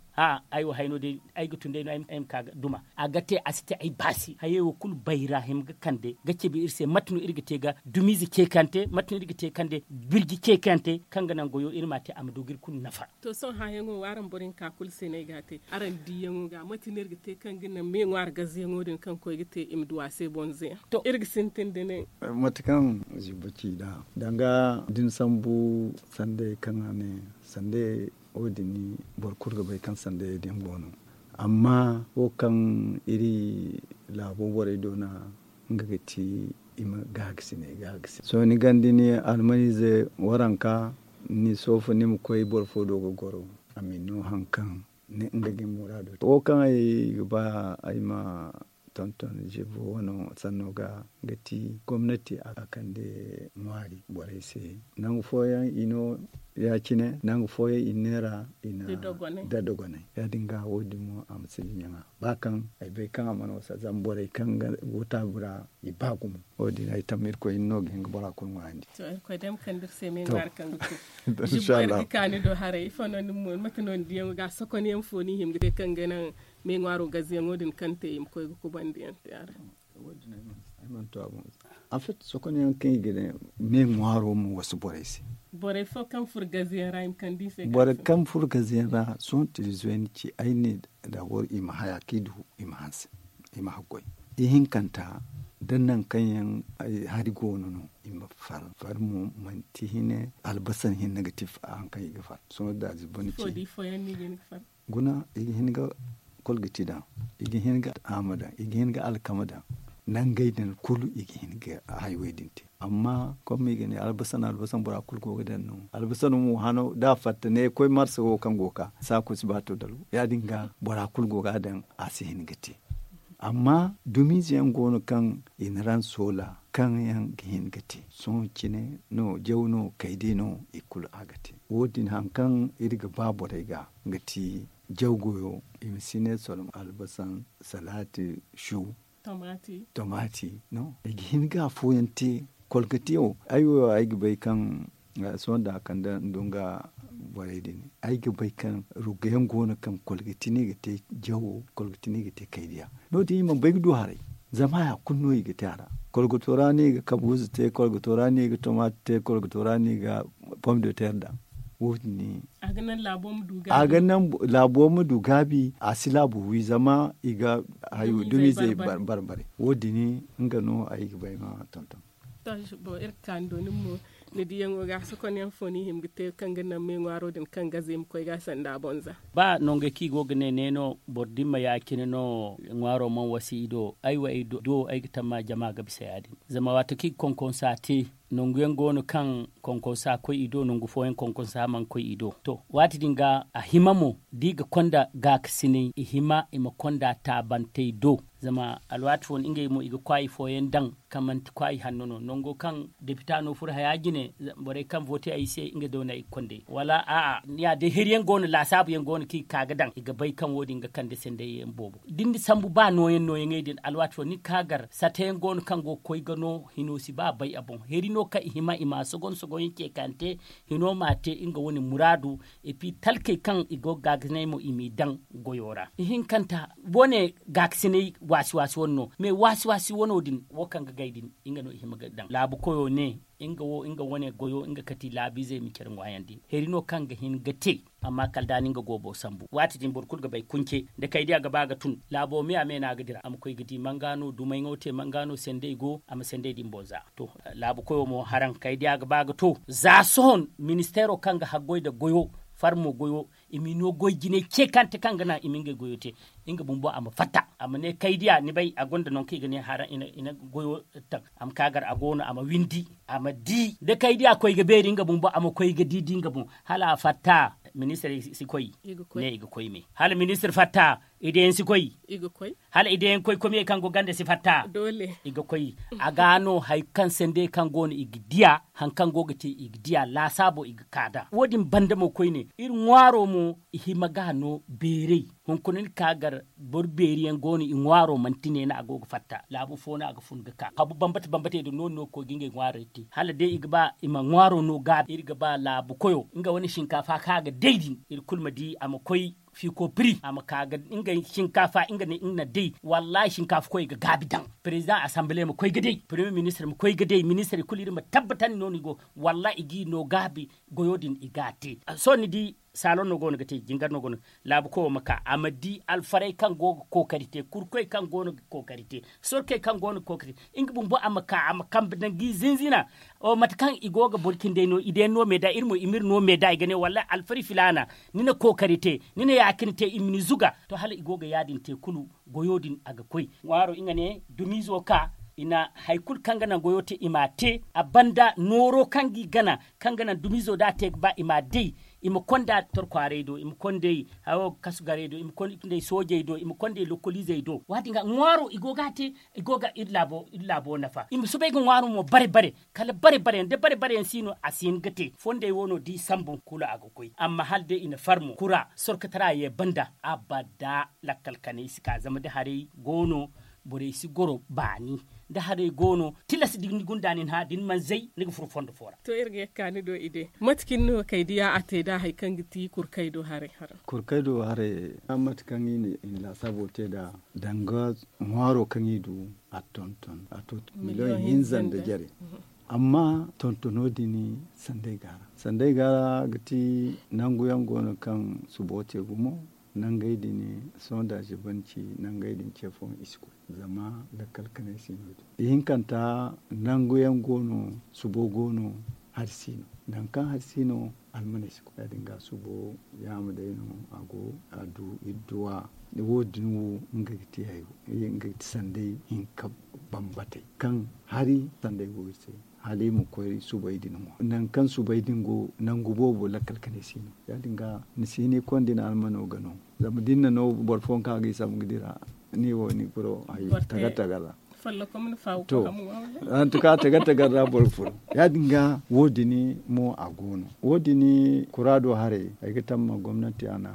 Aywa hayno day ay ga tun day no ay ma ka ga duma a ga te a si te ay baasi hayey wo kulu bayra hima ga kande ga cabe iri se mate no iri ga te ga dumiize ceekante mate no iri ga te kande birji ceekante kaŋ ga naŋ goyo iri ma a te a ma du ga iri kulu nafa. To sohõ hããyaŋo wo araŋ boro hinka kulu se no ay ga a te araŋ diiyaŋo ga mate no iri ga te kaŋ ga naŋ me ŋwaari gazeyaŋo din kaŋ koy ga te i ma du a se bonze yaŋ to iri ga sintin da ne. Mate kaŋ zibbo ci nd'a danga da ni sambu sanday kaŋ a ne sanday wo- din boro kulu ga bay kaŋ sandayey din go no. Amma wo kaŋ iri laabo borey do no a nga ga ti i ma gaagasiney gaagasi sohõ ni ganda ni almaniize waranka ni soofa ni ma koy boro fo do ga goro a ma ni no hari kaŋ nga ga ni muraado te wo kaŋ ay ga ba ay ma tonton zibbo wano sanno ga ga ti gomnati a kande ŋwaari borey se. Nangu fooyaŋ i no ya- cine nangu fooyaŋ i neera i na da dogonay ya- din ga wo- din mo a ma si diɲaŋa ba kaŋ ay bay kaŋ a mana wasa zama borey kaŋ ga go taabi ra i ba gumo wo- din ay tamma irkoy hinne no ga hin ga bora kulu ŋwaayandi. To irkoy day ma kande iri se me ŋwaari kaŋ ga koy zibbo iri ga kaani do haray ifo no ni mo mate no ni diyaŋo ga sokonyaŋ fo ni hima ga te kaŋ ga naŋ me ŋwaaro gazeyaŋo din kaŋ te i ma koy ga kubandi yaŋ te a ra. Ay mana to a boŋ. Afet sokonyaŋ kaŋ i ga ne me ŋwaaro ma wasu borey se. Borey fo kaŋ furo gazeyaŋ ra i ma kande i se borey kaŋ furo gazeyaŋ ra sohõ tilizoy ni ci ay ne dabor i ma haya kaŋ i du i ma hanse i ma haggoy. Ihinkanta da nangu kaŋ yaŋ hari goono no i ma far far mo manti hine albasan hinne ga ti hari kaŋ i ga far sohõ da zibbo ni ci. Guna i ga hin ga kolgati daŋ, i ga hin ga haama daŋ, i ga hin ga alkama daŋ. Nangey din kulu i ga hin ga haywey din te. Amma komma i ga ne albasan albasan bora kulu go ga daŋ no albasan mo hano da a fatta ne koy marsa wo kaŋ go ga ka saako si ba to dalo ya- din ga bora kulu go ga a daŋ a si hin ga te. Amma dumiize yaŋ go no kaŋ i na raŋ soola kaŋ yaŋ ga hin ga te sohõ cine no jaw no kaydi no i kulu a ga te. Wo- din hari kaŋ iri ga ba borey ga ga ti jaw goyo i ma si ne soloŋ albasan salaati su. Tomati no i ga hin ga afooyaŋ te. Kolgati wo ay wo ay ga bay kaŋ sohõ da a kande nda nga borey din ay ga bay kaŋ rugga yaŋ go no kaŋ kolgati no i ga te jawo kolgati no i ga te kaydiya. No- din i mana bay ga du haray zama haya kulu no i ga te a ra. Kolgato ra no i ga kabuuza te kolgato ra no i ga tomate te kolgato ra no i ga pom de terre daŋ. Wo- din a ga naŋ laabo ma du gaabi a si laabu wi zama i ga hayo dumizey barbare. Wo- din nga no ay ga bay ma tonton. To iri ga ka ni do nin mo ni diyaŋo ga sokonyaŋ fo no i hima ga te kaŋ ga naŋ me ŋwaaro din kaŋ gaze ma koy ga sanda bonza. Ba nongey kaŋ i go ga ne ne no boro din ma ya- cine no ŋwaaro mana wasa i do ay wo ay do ay ga tamma jama ga bisa ya- din. Zama waati kaŋ i ga konkonsa te nangu yaŋ go no kaŋ konkonsa koy i do, nangu fooyaŋ konkonsa mana koy i do. To, waati din ga a hima mo da i ga konda gaakasinay, i hima i ma konda taabantey do. Zama alwaati fooyaŋ ngey mo i ga kwaayi fooyaŋ daŋ kaŋ manti kwaayi hanno no, nango kaŋ depita no furo haya jine, borey kaŋ vooti ay se nga do no ay ga konda ay wala a'a, ni ya day heri yaŋ go no laasaabu yaŋ go no kaŋ i ga ka ga daŋ i ga bay kaŋ wo- din ga kande sanday yaŋ boobo. Da ni sambu ba nooyaŋ nooyaŋey din alwaati fooyaŋ ni ga ka gar sata yaŋ go no kaŋ go ga koy ga no hino si ba bay a boŋ heri no kaŋ i hima i ma sogon sogon yaŋ ce kaŋ te hino ma te nga wane muraadu. Epi talkey kaŋ i go ga gaakasinay mo i m'i daŋ goyo ra ihinkanta, wane gaakasinay waasi waasi wane no mais waasi waasi wano din wo kaŋ ga gay din nga no i hima ga daŋ laabu koyo ne nga wo nga wane goyo nga kati laabiizey ma care ŋwaayandi heri no kaŋ ga hin ga te. Amma kala da ni nga goobo sambu waati din boro kulu ga bay kunce da kaydiya ga ba ga tun laabo me a me no a ga dira a ma koy ga di manga no dumay ŋo te manga no sendey go a ma sendey din boŋ za. To, laabu koyo mo haraŋ kaydiya ga ba ga to za sohõ ministeero kaŋ ga haggoy nda goyo farmo goyo i m'i no goy jinay ce kaŋ te kaŋ ga naŋ i ma ngey goyo te nga bumbo a ma fatta a ma ne kaydiya ni bay a gonda nangu kaŋ i ga ne haraŋ i na goyo taŋ a ma ka gar a go no a ma windi a ma di da kaydiya koy ga beeri nga bumbo a ma koy ga di di nga boŋ hala a fatta ministir si koy ne i ga koy me hala ministir fatta ideyaŋ si koy hala ideyaŋ koy komiyey kaŋ go ganda si fatta i ga koy a ga no hari kaŋ sendey kaŋ go no i ga diya hari kaŋ go ga te i ga diya laasaabo i ga ka nd'a wo- din banda mo koyne iri ŋwaaro mo i hima ga no beeray hunkuna ni ka gar boro beeri yaŋ go no i ŋwaaro manti ne no a go ga fatta laabu fo no a ga fun ga ka habu bambata bambatey din no- din no ga koy ga ngey ŋwaarey te hala day i ga ba i ma ŋwaaro no gaabi iri ga ba laabu koyo nga wane sinkaafa kaŋ a ga day din iri kulu ma di a ma koy fiiko piri a ma ka ga ngey sinkaafa nga ne nga na day wallahi sinkaafa koy ga gaabi daŋ. Perezidaŋ asanbile ma koy ga day peremiye ministir ma koy ga day ministirey kulu iri ma tabbatandi no no i go wallahi i g'i no gaabi goyo din i ga a te sohõ ni di saaloŋ no go no ga te jingar no go no laabu koyo ma ka a ma di alfarey kaŋ go ga kookari te kurkoy kaŋ go no ga kookari te sorkey kaŋ go no ga kookari te nga bumbo a ma ka a ma kambe daŋ g'i zinzina. Mate kaŋ i go ga boro cindey no i day no me da iri mo i m'iri no me da i ga ne wallaahi alfari filaana ni na kookari te ni na ya- cine te i ma ni zuga to hala i go ga ya- din te kulu goyo din a ga koy ŋwaaro nga ne dumiizo ka i na hari kulu kaŋ ga naŋ goyo te i m'a te a banda nooro kaŋ g'i gana kaŋ ga naŋ dumiizo da a te ga ba i m'a day i ma konda torkwaaray do i ma konday hawo ga kasu garay do i ma konday soojey do i ma konday lokoliizey do waati ga ŋwaaro i go ga a te i go ga iri laabo nafa i ma soobay ga ŋwaaro mo bare bare kala bare bare yaŋ da bare bare yaŋ si no a si hin ga te fondey wo no da i sambu kulu a ga koy amma hala day i na farmo kura sorkatara ye banda abada lakkal kanay si ka zama da haray go no borey si goro baani da haray go no tilas da ni gunda nin hã da ni mana zay ni ga furo fondo fo ra. To iri ga ye ga ka ni do i de mate cine no kay diya a te da hari kaŋ ga ti kurkay do haray haray. Kurkay do haray mate kaŋ i na i na laasabo te da danga ŋwaaro kaŋ i du a tonton a to miliyoŋ hinza nda jare. Amma tontono din sanday ga a ra sanday ga a ra ga ti nangu yaŋ go no kaŋ subo te gumo nangey din sohõ da a zibanci nangey din ce fooyaŋ i si koy zama lakkal kanay si no din ihinkanta nangu yaŋ go no subo go no hari si no nangu kaŋ hari si no almaney si koy ya- din ga subo yaama day no a go a du iri duwa wo- din wo nga ga ti hayo nga ga ti sanday hinka bambatey kaŋ hari sanday go iri se hala i ma koy subay din ŋwa nangu kaŋ subay din go nangu boobo lakkal kanay si no ya- din ga ni si ni konda ni almano ga no zama da ni na no boro fooyaŋ kaŋ a ga i sambu ga dira ni wo ni furo hari tagar tagar ra. To hantuka tagar tagar ra boro furo ya- din ga wo- din mo a go no wo- din kura do haray ay ga tamma gomnanti a na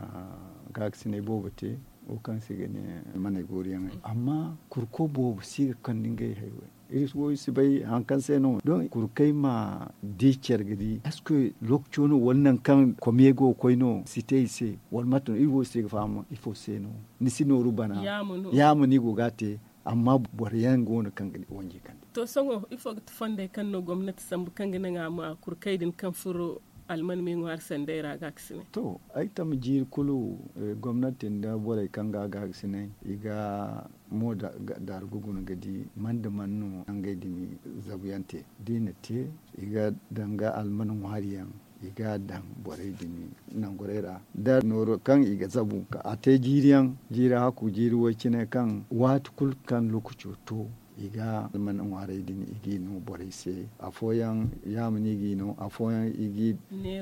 gaakasinay boobo te wo kaŋ se i ga ne manay gooriyaŋey amma kurko boobo si ga kande ngey haywey iri wo iri si bay hari kaŋ se no don kurkey ma di care ga di est-ce que lokaco no wala nangu kaŋ komiyey go ga koy no si te i se wala mate no iri wo iri si ga faham ifo se no ni si nooru bana yaama no i go ga a te amma boro yaŋ go no kaŋ ga wanji kande. To sohõ ifo ga ti fondey kaŋ no gomnati sambu kaŋ ga naŋ a ma kurkey din kaŋ furo alman me ŋwaari sanday ra gaakasinay? To ay tamma jiiri kulu gomnati nda borey kaŋ ga a gaakasinay i ga mo daargu guna ga di man nda man no nangey din zabuyaŋ te da i na te i ga danga alman ŋwaari yaŋ i ga a daŋ borey din nangurey ra da nooro kaŋ i ga zabu a te jiiri yaŋ jiiri hakku jiiri way cine kaŋ waati kulu kaŋ lokaco to I ga alman ŋwaarey din i g'i no borey se. Afooyaŋ yaama no i g'i no, afooyaŋ i g'i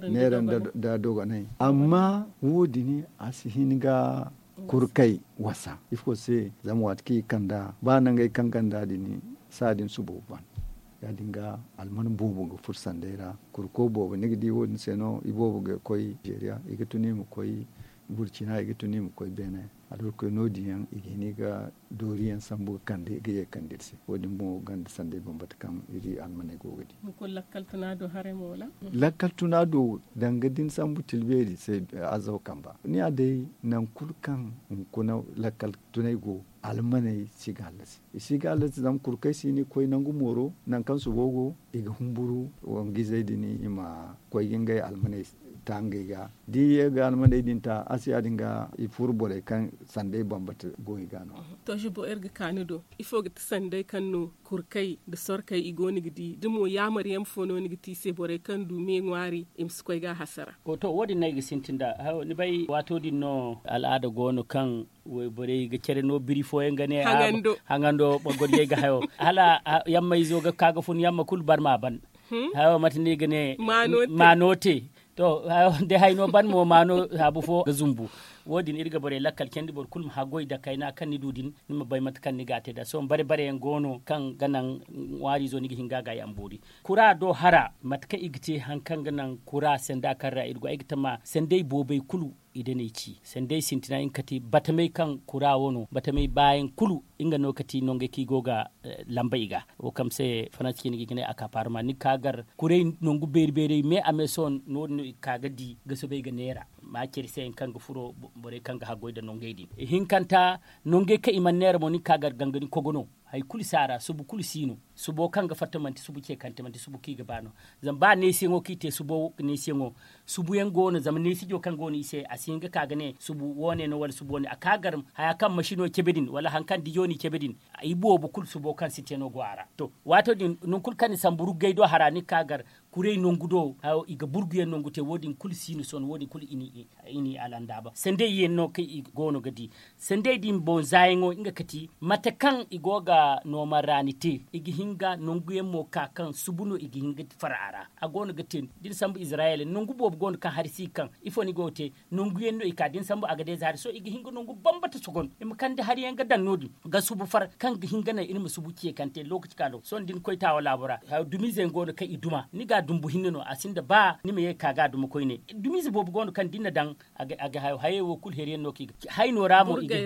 neera nda dogonay. Amma wo- din a si hin ga kurkey wasa ifo se? Zama waati kaŋ i kand'a ba nangey kaŋ ganda din saadin subo ban. Ya- din ga alman boobo ga furo sandey ra. Kurko boobo ni ga di wo- din se no i boobo ga koy nizeeriya, i ga tun i ma koy burcina, i ga tun i ma koy beene. Alhurkoy no- din yaŋ i ga hin i ga dooriyaŋ sambu ga kande i ga ye kande iri se. Wo- din boŋo ganda sandey bambata kaŋ iri almaney go ga di. Lakkal tuna do danga da ni sambu tilbeeri se azaw kamba ni ya day. Nangu kulu kaŋ hunkuna lakkal tunay go, almaney si ga hallasi. I si ga hallasi zama kurkey si ni koy nangu mooro nangu kaŋ subo go. I ga humburu wangizey din i ma koy ga ngey almaney ta ngey ga. Da i ye ga almaney din ta a si ya- din ga i furo borey kaŋ sandey bambata go i ga no. To zubo iri ga ka ni do, ifo ga ti sandey kaŋ no kurkey nda sorkey i go no ga di da mo yaamar yaŋ fo no ni ga te i se borey kaŋ du me ŋwaari i ma si koy ga a hasara? To wo- din no ay ga sintin nd'a. Ni bay waato din no al'aada go no kaŋ wayborey ga care no biri fooyaŋ ga ne haŋando bagoriyey ga hayo hala yamma izo ga ka ga fun yamma kulu barma ban. Hayo mate no i ga ne maano te. To day hay no ban mo maano haabu fo ga zumbu. Wo- din iri ga borey lakkal candi boro kulu ma haggoy da kayna kaŋ ni du din ni ma bay mate kaŋ ni ga a te nd'a sohõ bare bare yaŋ go no kaŋ ga naŋ ŋwaariizo ni ga hin ga a gaay a ma boori. Kura do hara mate kaŋ i ga te hari kaŋ ga naŋ kura sanda kaŋ ra iri go ay ga tama sandey boobey kulu i danay ci sandey sintina nga kati batamey kaŋ kura wo no batamey baayaŋ kulu. Nga no kati nongey kaŋ i go ga lamba i ga wo kaŋ se faransi cine ga i ga ne a ka parma ni ga ka gar kurey nangu beeri beeri me a me sohõ no- din no i ga ka ga di ga soobay ga neera ma care se yaŋ kaŋ ga furo borey kaŋ ga haggoy nda nongey din. Ihinkanta nongey kaŋ i mana neera mo ni ga ka gar gangani kogo no. Hari kulu si a ra subu kulu si no. Subo kaŋ ga fatta manti subu ce kante manti subu kaŋ i ga ba no. Zama ba neesiyaŋo kaŋ i te subo neesiyaŋo subu yaŋ go no zama neesijo kaŋ go no i se a si hin ga ka ga ne subu wo- ne no wala subu wo- ne a ka gar haya kaŋ masino cabe din wala hari kaŋ dijo no i cabe din. I boobo kulu subo kaŋ si te no go a ra. To waato din nangu kulu kaŋ ni sambu ruggay do hara ni ga ka gar kurey nangu do i ga burguyaŋ nangu te wo- din kulu si no sohõ wo- din kulu i n'i alandaaba sandey yaŋ no kaŋ i go no ga di. Sandey din boŋ zaayaŋo nga kati mate kaŋ i go ga nooma ra ni te i ga hin ga nangu yaŋ mo ka kaŋ subu no i ga hin ga far a ra. A go no ga te da ni sambu izirayel nangu boobo go no kaŋ hari si ga kaŋ ifo ni go ga te? Nangu yaŋ no i ka da ni sambu a ga deeza hari sohõ i ga hin ga nangu bambata sogon i ma kande hari yaŋ ga daŋ no- din ga subu far kaŋ ga hin ga naŋ iri ma subu ce kante lookaci ka do sohõ da ni koy taawa laabo ra. Dumiize yaŋ go no kaŋ i duma ni ga dumbu hinne no a sinda ba ni ma ye ga ka ga a duma koyne. Dumiize boobo go no kaŋ da ni na daŋ a ga hayo hayey wo kulu heri yaŋ no kaŋ i ga ci hayno ra mo i ga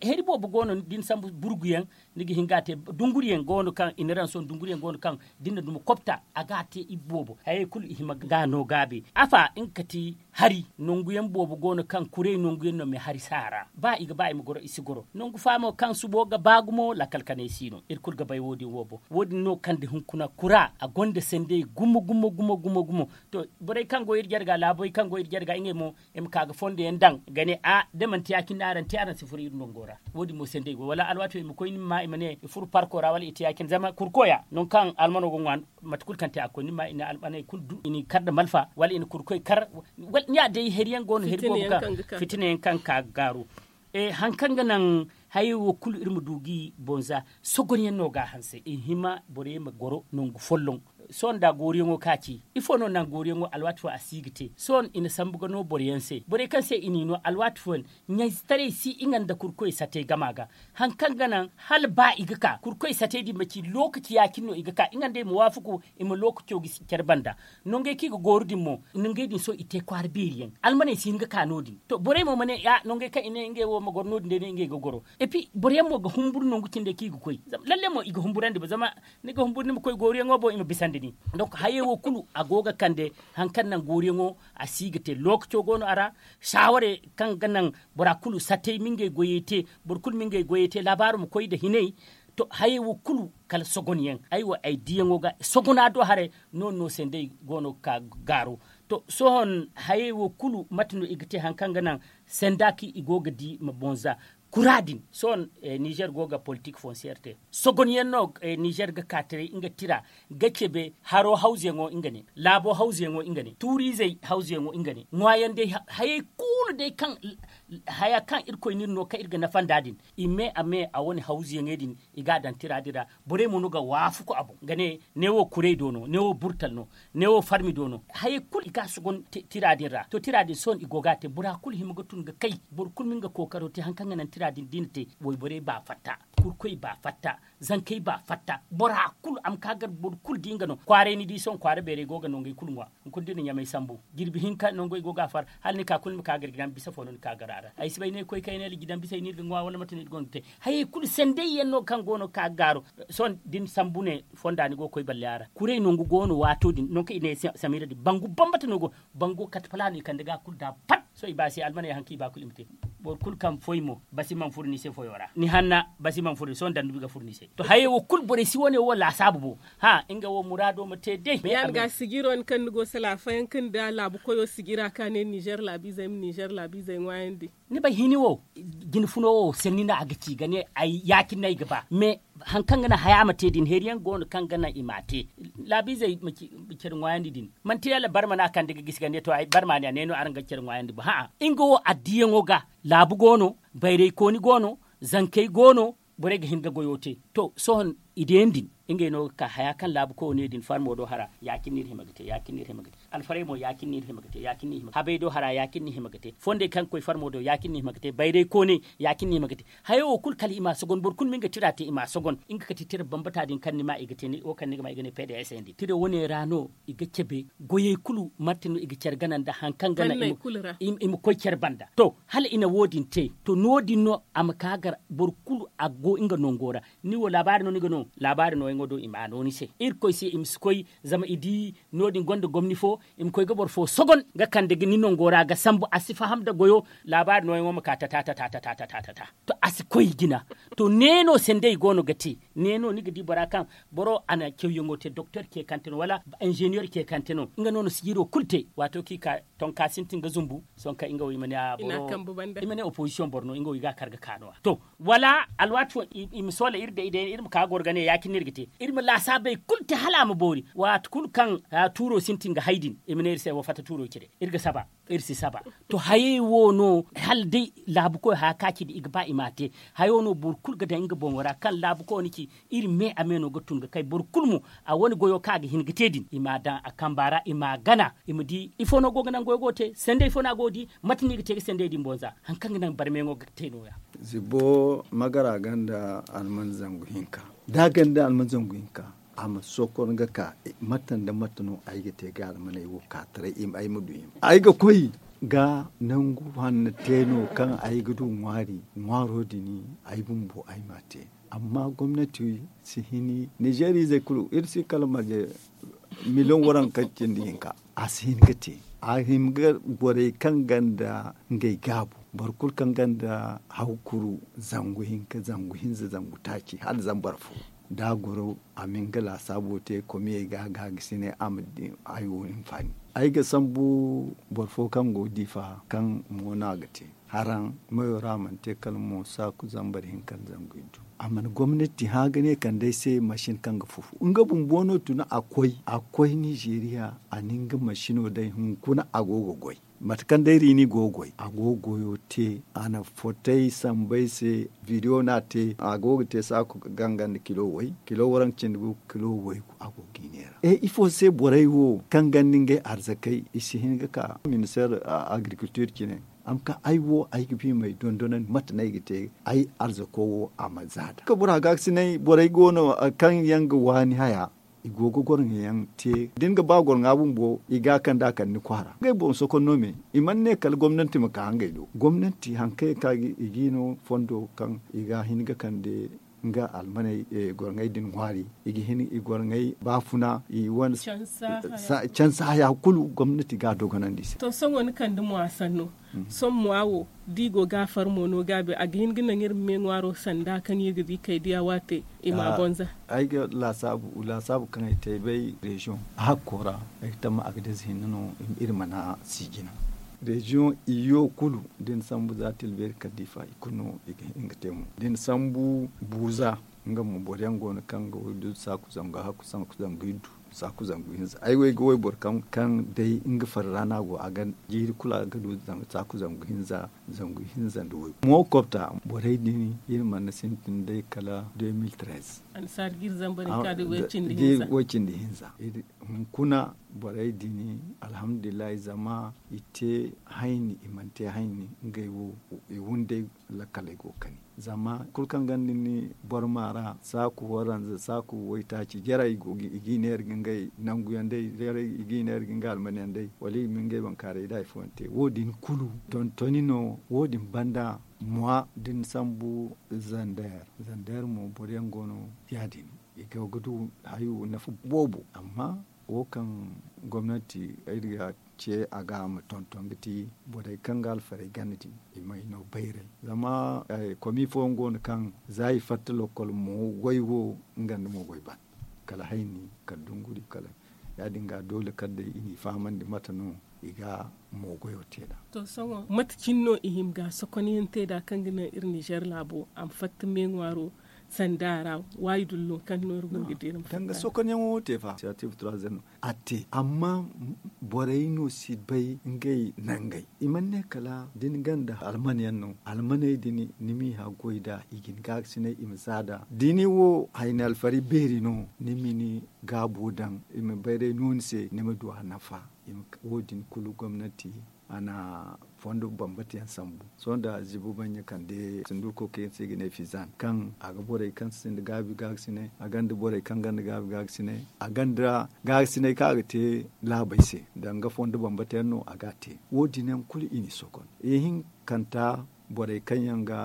heri boobo go no da ni sambu burgu yaŋ ni ga hin ga a te dunguri yaŋ go no kaŋ i na raŋ sohõ dunguri yaŋ go no kaŋ da ni na duma kopta a ga a te i boobo hayey kulu i hima ga no gaabe. Afa nga kati hari nangu yaŋ boobo go no kaŋ kurey nangu yaŋ no me hari si a ra ba i ga ba i ma goro i si goro nangu faamo kaŋ subo ga ba gumo lakkal kanay si no iri kulu ga bay wo- din wo boŋ. Wo- din no kaŋ da hunkuna kura a gonda sandey gumo gumo gumo gumo gumo. To borey kaŋ go iri jarga laaboy kaŋ go iri jarga ngey mo i ma ka ga fondo yaŋ daŋ ga ne a da manti ya- cine araŋ te araŋ si furo iri nango ra. Wo- din mo sandey go wala alwaati wo i ma koy ni ma ma i ma ne i furu parko ra wala i te ya- cine zama kurkoya nangu kaŋ almano ga ŋwa mate kulu kaŋ te a ga koy ni ma i na almaney kulu du i n'i kar nda malfa wala i na kurkoy kar. Wala ni ya day hari yaŋ go no hari boobo kaŋ fitina yaŋ kaŋ ga ka ga gaaru. Hari kaŋ ga naŋ hayey wo kulu iri ma du ga i boŋ za sogon yaŋ no ga a hanse i hima borey ma goro nangu folloŋ. Sohõ nda gooriyaŋo ka ci ifo no naŋ gooriyaŋo alwaati fooyaŋ a si ga te sohõ i na sambu ga no boro yaŋ se borey kaŋ se i n'i no alwaati fooyaŋ ɲayzetaray si nga nda kurkoy satey gama ga. Hari kaŋ ga naŋ hala ba i ga ka kurkoy satey din ma ci lookaci ya- cine no i ga ka nga nd'ey ma waafaku i ma lookaco ga care banda. Nongey kaŋ i ga gooru din mo nongey din sohõ i te kwaara beeri yaŋ almaney si hin ga ka no- din. To borey mo ma ne ya nongey kaŋ i ne ngey wo ma goro no- din day no ngey ga goro. Epi boro yaŋ mo ga humburu nangu cindey kaŋ i ga koy zama lalle mo i ga humburandi ba zama ni ga humburu ni ma koy gooruyaŋo boŋ i ma bisandi ni. Donk hayey wo kulu a go ga kande hari kaŋ naŋ gooruyaŋo a si ga te lookaco go no a ra. Saaware kaŋ ga naŋ bora kulu satey ma ngey goyey te boro kulu ma ngey goyey te laabaaro ma koy nda hinay. To hayey wo kulu kala sogonyaŋ ay wo ay diyaŋo ga sogona do haray. No- din no sendey go no ga ka gaaro. To sohõ hayey wo kulu mate no i ga te hari kaŋ ga naŋ senda kaŋ i go ga di ma boŋ za kura din sohõ. Nizer go ga politik fonsiyer te sogonyaŋ no nizer ga ka taray nga tira ga cebe haro hawzuyaŋo nga ne laabo hawzuyaŋo nga ne tuuriizey hawzuyaŋo nga ne ŋwaayaŋ day hayey kulu day kaŋ Haya kaŋ irkoy n'iri no kaŋ iri ga nafa nd'a din, i me a me a wane hawzuyaŋey din, i g'a daŋ tira din ra. Borey mo no ga waafaku a boŋ ga ne, ne wo kuray do no, ne wo burtal no, ne wo farmi do no. Hayey kulu i ga a sogon tira din ra. To tira din sohõ i go ga a te bora kulu hima ga tun ga kay. Boro kulu ma nga kookaro te hari kaŋ ga naŋ tira din da i na te. Wayborey baa fatta, kurkoy baa fatta, zankey baa fatta. Bora kulu a ma ka gar boro kulu di nga no kwaaray ni di sohõ kwaara beerey go ga nongey kulu ŋwa. Hunkuna da i na ɲamay sambu jirbi hinka nango i go ga a far, hala ni ka kulu ni ma ka gar jidan bisa fo no ni ka gar a ra. Ay si bay ne koy kayna hala jidan bisa i no iri ga ŋwa wala mate no iri gonda te. Hayey kulu sanday yaŋ no kaŋ go no ga ka ga gaaro. Sohõ da ni sambu ne fonda ni go ga koy balle a ra kuray nangu go no waato din nangu kaŋ i ne samira din bangu bambata no go. Bango kate palaano i kande ga kulu da pat. Sohõ i ba se almaney hari kaŋ i ba kulu i ma te. Boro kulu kaŋ foy mo basi mana furo ni se foyo ra ni hanna basi mana furo ni se sohõ dandubi ga furo ni se. To hayey wo kulu borey si wane wo laasaabu bo. Hã nga wo muraado ma te day. Ya ni ga sijiro ni kaŋ ni go salaafayaŋ kaŋ ni da laabu koyo sijira ka ne nizer laabiizey ma nizer laabiizey ŋwaayandi. Ni bay hini wo, jine funo wo sanni no a ga ci ga ne ay ya- cine no ay ga ba mais hari kaŋ ga naŋ haya ma te din hari yaŋ go no kaŋ ga naŋ i m'a te. Laabiizey ma care ŋwaayandi din manti yalla barma no a kande ga gisi ga ne to ay barma ne a ne no araŋ ga care ŋwaayandi bo hã. Nga wo addiyaŋo ga laabu go no, bayraykooni go no, zankey go no. Borey ga hin ga goyo te. To sohõ i deeni din ngey no ga ka haya kaŋ laabu koyo ne din farmo do hara ya- cine no iri hima ga te ya- cine no iri hima ga te. Alfarey mo ya- cine no iri hima ga te ya- cine no iri hima ga te. Habey do hara ya- cine no iri hima ga te fondey kaŋ ga koy farmo do ya- cine no iri hima ga te bayraykooney ya- cine no iri hima ga te. Hayey wo kulu kala i m'a sogon boro kulu ma nga tira te i m'a sogon. Nga kate tira bambata din kaŋ ni ma i ga te wo kaŋ ni ga ma i ga ne pds din tira wane ra no i ga cabe. Goyey kulu mate no i ga care gana nda hari kaŋ gana i ma koy care banda to hala i na wo- din te. To no- din no a ma ka gar boro kulu a go nga nango ra. Ni wo laabaari no ni ga no laabaari nooyaŋo do i m'a no ni se irkoy se i ma si koy. Zama i di no- din gonda gomni fo i ma koy ga boro fo sogon ga kande ni nango ra ga sambu a si faham nda goyo. Laabaari nooyaŋo ma ka tata tata tata tata tata. To a si koy jina. To ne no sanday go no ga te ne no ni ga di bora kaŋ boro a na cawyaŋo te doktor ceekante no wala inzeniyer ceekante no nga no na sijiro kulu te waato kaŋ i ka tonka sintin ga zumbu. Sohõ kaŋ nga wo i ma ne a boro i ma ne opozisiyoŋ boro no nga wo i ga a kar ga ka no- ya to wala alwaati fo i ma soola iri day day iri ma ka goro ga ne ya- cine no iri ga te. Iri ma laasaabey kulu te hala a ma boori waati kulu kaŋ tuuro sintin ga hay din i ma ne iri se wo fatta tuuro cire. Iri ga saba iri si saba. To hayey wo no hala day laabukoy haya kaŋ a ci da i ga ba i m'a te. Hayo no boro kulu ga daŋ nga boŋo ra kaŋ laabukoy no ci. Iri me a me no ga tun ga kay boro kulu mo a wane goyo kaŋ a ga hin ga te din i m'a daŋ a kamba ra i m'a gana i ma di ifo no go ga naŋ goyo go ga te sanday fo no a go ga di. Mate no i ga te ga sanday din boŋ za hari kaŋ ga naŋ barmeyaŋo ga te no- ya. Zibo magara ganda alman zangu hinka da a ganda alman zangu hinka. A ma sokor nga ka mate nda mate no ay ga te ga almaney wo ka taray ay ma du hima ay ga koy ga nangu hanno te no kaŋ ay ga du ŋwaari ŋwaaro din ay bumbo ay m'a te. Amma gomnati si hini nizeer izey kulu iri si kala marje miliyoŋ waranka cindi hinka. A si hin ga te a hima ga borey kaŋ ganda ngey gaabu boro kulu kaŋ ganda hawkuru zangu hinka zangu hinza zangu taaci hala zambar fo. Da a goro a ma nga laasaabo te komiyey ga ga ga si ne a ma di ay wo hinfaani. Ay ga sambu boro fo kaŋ go diifa kaŋ mo no a ga te haraŋ mayo ra a mana te kala mo saaku zambar hinka nda zangu iddu. A mana gomnati hã ga ne kande ay se masin kaŋ ga fufu nga bumbo no tun a koy a koy nizeeriya. A na nga masino day hunkuna a go ga goy mate kaŋ day riini go ga goy a go ga goyo te a na fotay samba ay se. Video no a te a go ga te saaku ganga nda kilo way kilo waranka cindi gu kilo way gu a go ga i neera. E ifo se borey wo kaŋ ganda ngey arzakey i si hin ga ka minister agriculture cine. A ma ka ay wo ay ga ba i m'ay dondonandi mate no ay ga te ay arzako wo a ma za nd'a ka bora gaakasinay borey go no kaŋ yaŋ ga waani haya. I go ga gorŋa yaŋ te da ni ga ba gorŋa bumbo i ga a kande a kande ni kwaara ngey boŋ sokon no me. I mana ne kala gomnanti ma ka ngey do gomnanti hari kaŋ yaŋ ka i ga i no fondo kaŋ i ga hin ga kande nga almaney gorŋey din ŋwaari i ga hin i gorŋey baafuna i wane cansa haya kulu gomnati ga a dogonandi i se. To sohõ ni kande mo a sanno sohõ mo a wo da i go ga a far mo no gaabi a ga hin ga naŋ iri ma me ŋwaaro sanda kaŋ iri ga di kay diya waate. I ma a bonza. Ay ga laasaabu laasaabu kaŋ ay te ay bay reziyoŋ a hakko ra ay ga tamma a ga deeza hinne no. Iri mana si jina reziyoŋ iyo kulu da ni sambu za tilbeeri kala diifa i kulu no i ga hin ga te mo da ni sambu buuza. Nga mo boro yaŋ go no kaŋ ga waydu saaku zangu hakku saaku zangu iddu. Saaku zangu hinza ay wo ay ga wayboro kaŋ day nga farra no a go a ga jiiri kulu a ga du saaku zangu hinza. Zangu hinza nda waygu mo kopta borey din iri mana sintin day kala deux mille treize. Annasaari ga iri zamba day ka da way cindi hinza. Hunkuna borey din alhamdulillahi zama i te hayni i mana te hayni ngey wo i wunday lakkaley go ga kani. Zama kulu kaŋ ganda ni boro ma ra saaku waranza saaku waytaaci jarey i g'i neera ga ngey nanguyaŋ day jarey i g'i neera ga ngey almanyaŋ day wala i ma ngey bankaaray da hari fooyaŋ te wo- din kulu tontoni no. Wo- din banda mwa da ni sambu zander zander mo boro yaŋ go no ya- din i go ga du hayo nafa boobo amma wo kaŋ gomnanti iri ga ce a ga a ma tonton ga ti borey kaŋ ga alfarey gana din i may no bayray. Zama komi fooyaŋ go no kaŋ za i fatta lokkol mo goy wo nga nda mo goy ban kala hayni kala dunguri kala ya- din ga doole kala day i n'i fahamandi mate no i ga mo goyo te nd'a. To sohõ mate cine no i hima ga sokonyaŋ te nd'a kaŋ ga naŋ iri nizer laabo a ma fatta me ŋwaaro sanda ra waayi dullo kaŋ no iri go ga di iri ma fatta. Danga sokonyaŋo wo te fa siyatiiv turaazem no a te amma borey no si bay ngey nangey i mana ne kala da ni ganda almanyaŋ no almaney din ni m'i haggoy nd'a i ga ni gaakasinay i ma za nd'a da ni wo hayni alfari beeri no ni ma ni gaabo daŋ i ma bayray no ni se ni ma du a nafa. Wo- din kulu gomnanti a na fondo bambata yaŋ sambu sohõ nda zibo baŋ ɲa kande sunduko kaŋ yaŋ se i ga ne fizan kaŋ a ga borey kaŋ sinda gaabi gaakasinay a gonda borey kaŋ gonda gaabi gaakasinay a gonda gaakasinay kaŋ a ga te laabey se danga fondo bambata yaŋ no a ga a te. Wo- din yaŋ kulu i n'i sokon ihinkanta borey kaŋ yaŋ ga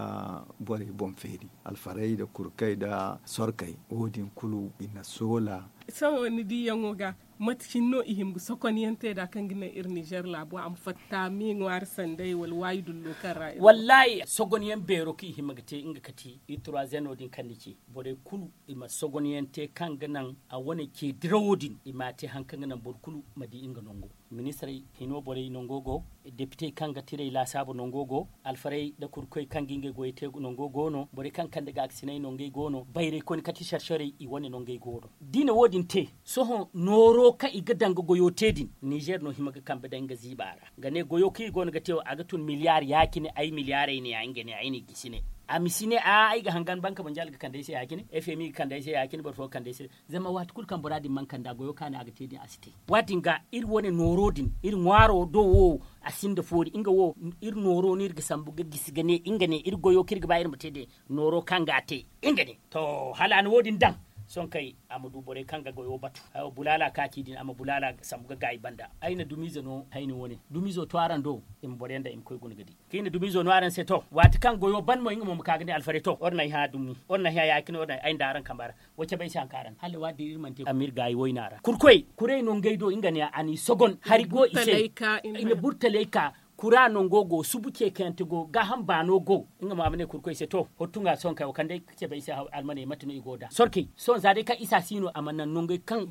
borey boŋ feeri alfarey nda kurkey nda sorkey wo- din kulu i na soola. Sohõ ni diiyaŋo ga mate cine no i hima ga sokonyaŋ te nd'a kaŋ ga naŋ iri nizer laabo a ma fatta me ŋwaari sanday wala waayi dullo kaŋ ra iri go? Wallaahi sogonyaŋ beero kaŋ i hima ga te nga kati iri turaazeno din kaŋ ni ci borey kulu i ma sogonyaŋ te kaŋ ga naŋ a wane ce dirawo din i m'a te hari kaŋ ga naŋ boro kulu ma di nga nango. Ministirey hino borey nango go depitey kaŋ ga tirey laasaabu nango go alfarey nda kurkoy kaŋ ga ngey goyey te nango go no borey kaŋ kande gaakasinay nangey go no bayraykoyne kati sarsaray i wane nangey go no. Da i na wo- din te sohõ nooro kaŋ i ga daŋ ga goyo te din nizer no hima ga kambe daŋ nga ziiba ra ga ne goyo kaŋ i go no ga te wo a ga tun miliyaar ya- cine ay miliyaarey ne ya nga ne ay n'i gisi ne. A ma si ne a'a ay ga hangan banka banjal ga kande ay se ya- cine fmi ga kande ay se ya- cine boro fo ga kande ay se. Zama waati kulu kaŋ bora din mana kande a goyo kaani a ga te din a si te. Waati din ga iri wane nooro din iri ŋwaaro do wo a sinda foori nga wo iri nooro no iri ga sambu ga gisi ga ne nga ne iri goyo kaŋ iri ga ba iri ma te din nooro kaŋ ga a te nga ne. To hala a na wo- din daŋ sohõ kay a ma du borey kaŋ ga goyo batu bulaala kaaci din a ma bulaala sambu ga gaayi banda ay na dumiize no hayni wane dumiizo to araŋ do i ma boro yaŋ daŋ i ma koy guna ga di. Kaŋ i na dumiizo no araŋ se to waati kaŋ goyo ban mo nga mo ma ka ga ne alfarey to iri na ay hã dumi iri na ay hã ya- cine iri na ay nda araŋ kambe ra. Wa cabe ay se hari kaŋ araŋ hala waati din iri mana te a ma iri gaayi wayna ra kurkoy kuray no ngey do nga ne a n'i sogon hari go i se. I na burtalay ka kura nango go subu ceekayante go gaaham baano go. Nga mo a ma ne kurkoy se to hottu nga sohõ kay wo kande ay ga cabe ay se almaney mate no i go nd'a sorkey sohõ za day kaŋ isa si no a ma naŋ nangey kaŋ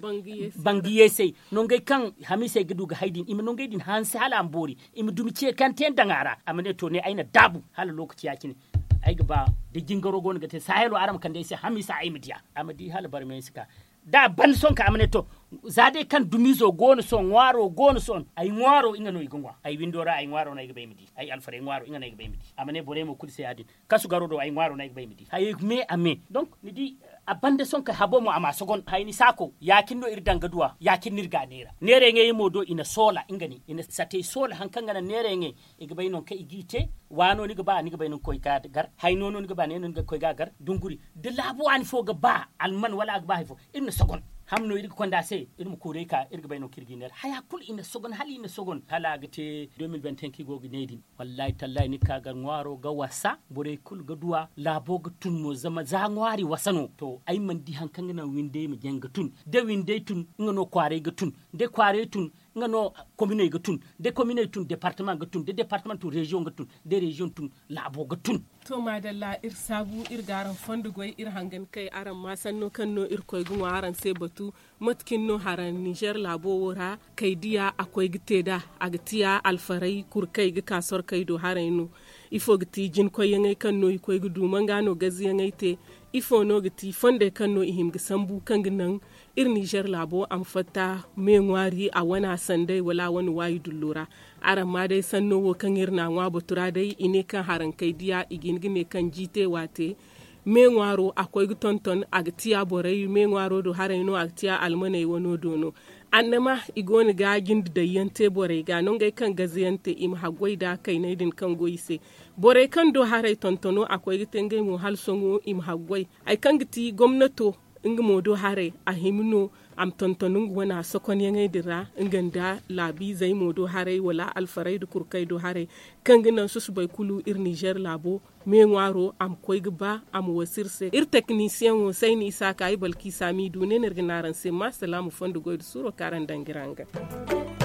bangiyeesey nangey kaŋ hamiisey ga du ga hay din i ma nangey din hanse hala a ma boori i ma dumi ceekante yaŋ daŋ a ra a ma ne to ne ay na daabu hala lookaci ya- cine. Ay ga ba da jingaro go no ga te saahilo araŋ ma kande ay se hamiisa ay ma diya a ma di hala barmay si ka da a ban sohõ ka a ma ne to za day kaŋ dumiizo go no sohõ ŋwaaro go no sohõ ay ŋwaaro nga no i ga ŋwa ay windo ra ay ŋwaaro no ay ga ba ay ma di ay alfarey ŋwaaro nga no ay ga ba ay ma di a ma ne borey mo kulu se ya- din kasu garo do ay ŋwaaro no ay ga ba ay ma di hayey me a me donk ni di. A banda sohõ kay habo mo a ma sogon hayni saako ya- cine no iri daŋ ga duw'a ya- cine no iri ga a neera neerayaŋey mo do i na soola nga ne i na satey soola hari kaŋ ga naŋ neerayaŋey i ga bay nangu kaŋ i g'i te waano ni ga ba ni ga bay ni ga koy ga gar hayno no ni ga ba ne no ni ga koy ga gar dunguri da laabu waani fo ga ba alman wala a ga ba hari fo iri na sogon. Ham no iri ga konda se iri ma kuuray ka iri ga bay nangu kaŋ iri g'i neera haya kulu i na sogon hala i na sogon hala a ga te deux mille vingt cinq i go ga ne din. Wallaahi tallaahi ni ga ka gar ŋwaaro ga wasa borey kulu ga duw'a laabo ga tun mo zama za ŋwaari wasa no to ay mana di hari kaŋ ga naŋ windey ma jaŋ ga tun da windey tun nga no kwaaray ga tun da kwaaray tun nga no kominey ga tun da kominey tun departama ga tun da departama tun reziyoŋ ga tun da reziyoŋ tun laabo ga tun. To maadalla iri saabu iri ga araŋ fondo goy iri hangan kay araŋ ma sanno kaŋ no iri koy ga ŋwa araŋ se batu. Mate cine no haraŋ nizer laabo wo ra kay diya a koy ga te nd'a a ga tiya alfaray kuru kay ga ka sorkey do haray no. Ifo ga ti jinkoyyaŋey kaŋ no i koy ga du manga no gaziyaŋey te? Ifo no ga ti fondey kaŋ no i hima ga sambu kaŋ ga naŋ iri nizer laabo a ma fatta me ŋwaari a wane a sanday wala a wane waayi dullo ra? Araŋ ma day sanno wo kaŋ iri na a ŋwa batu ra day i ne kaŋ harankey diya i ga hin ga ne kaŋ jiite waate me ŋwaaro a koy ga tonton a ga tiya borey me ŋwaaro do haray no a ga tiya almaney wano do no. Annama i go no ga jinde dayyaŋ te borey ga nangey kaŋ gazayaŋ te i ma haggoy nda kayney din kaŋ go i se. Borey kaŋ do haray tontono a koy ga te ngey mo hala sohõ i ma haggoy. Hari kaŋ ga ti gomnato nga mo do haray a hima no a ma tonton nga wane a sokonyaŋey din ra nga nda laabiizey mo do haray wala alfarey nda kurkey do haray kaŋ ga naŋ susubay kulu iri nizer laabo me ŋwaaro a ma koy ga ba a ma wasu iri se iri teknisiyeŋo sayni isa ka ay balki saami du ne no iri ga ne araŋ se ma salaamu fondo goy nda suuro kaŋ araŋ daŋ ga iri hangan.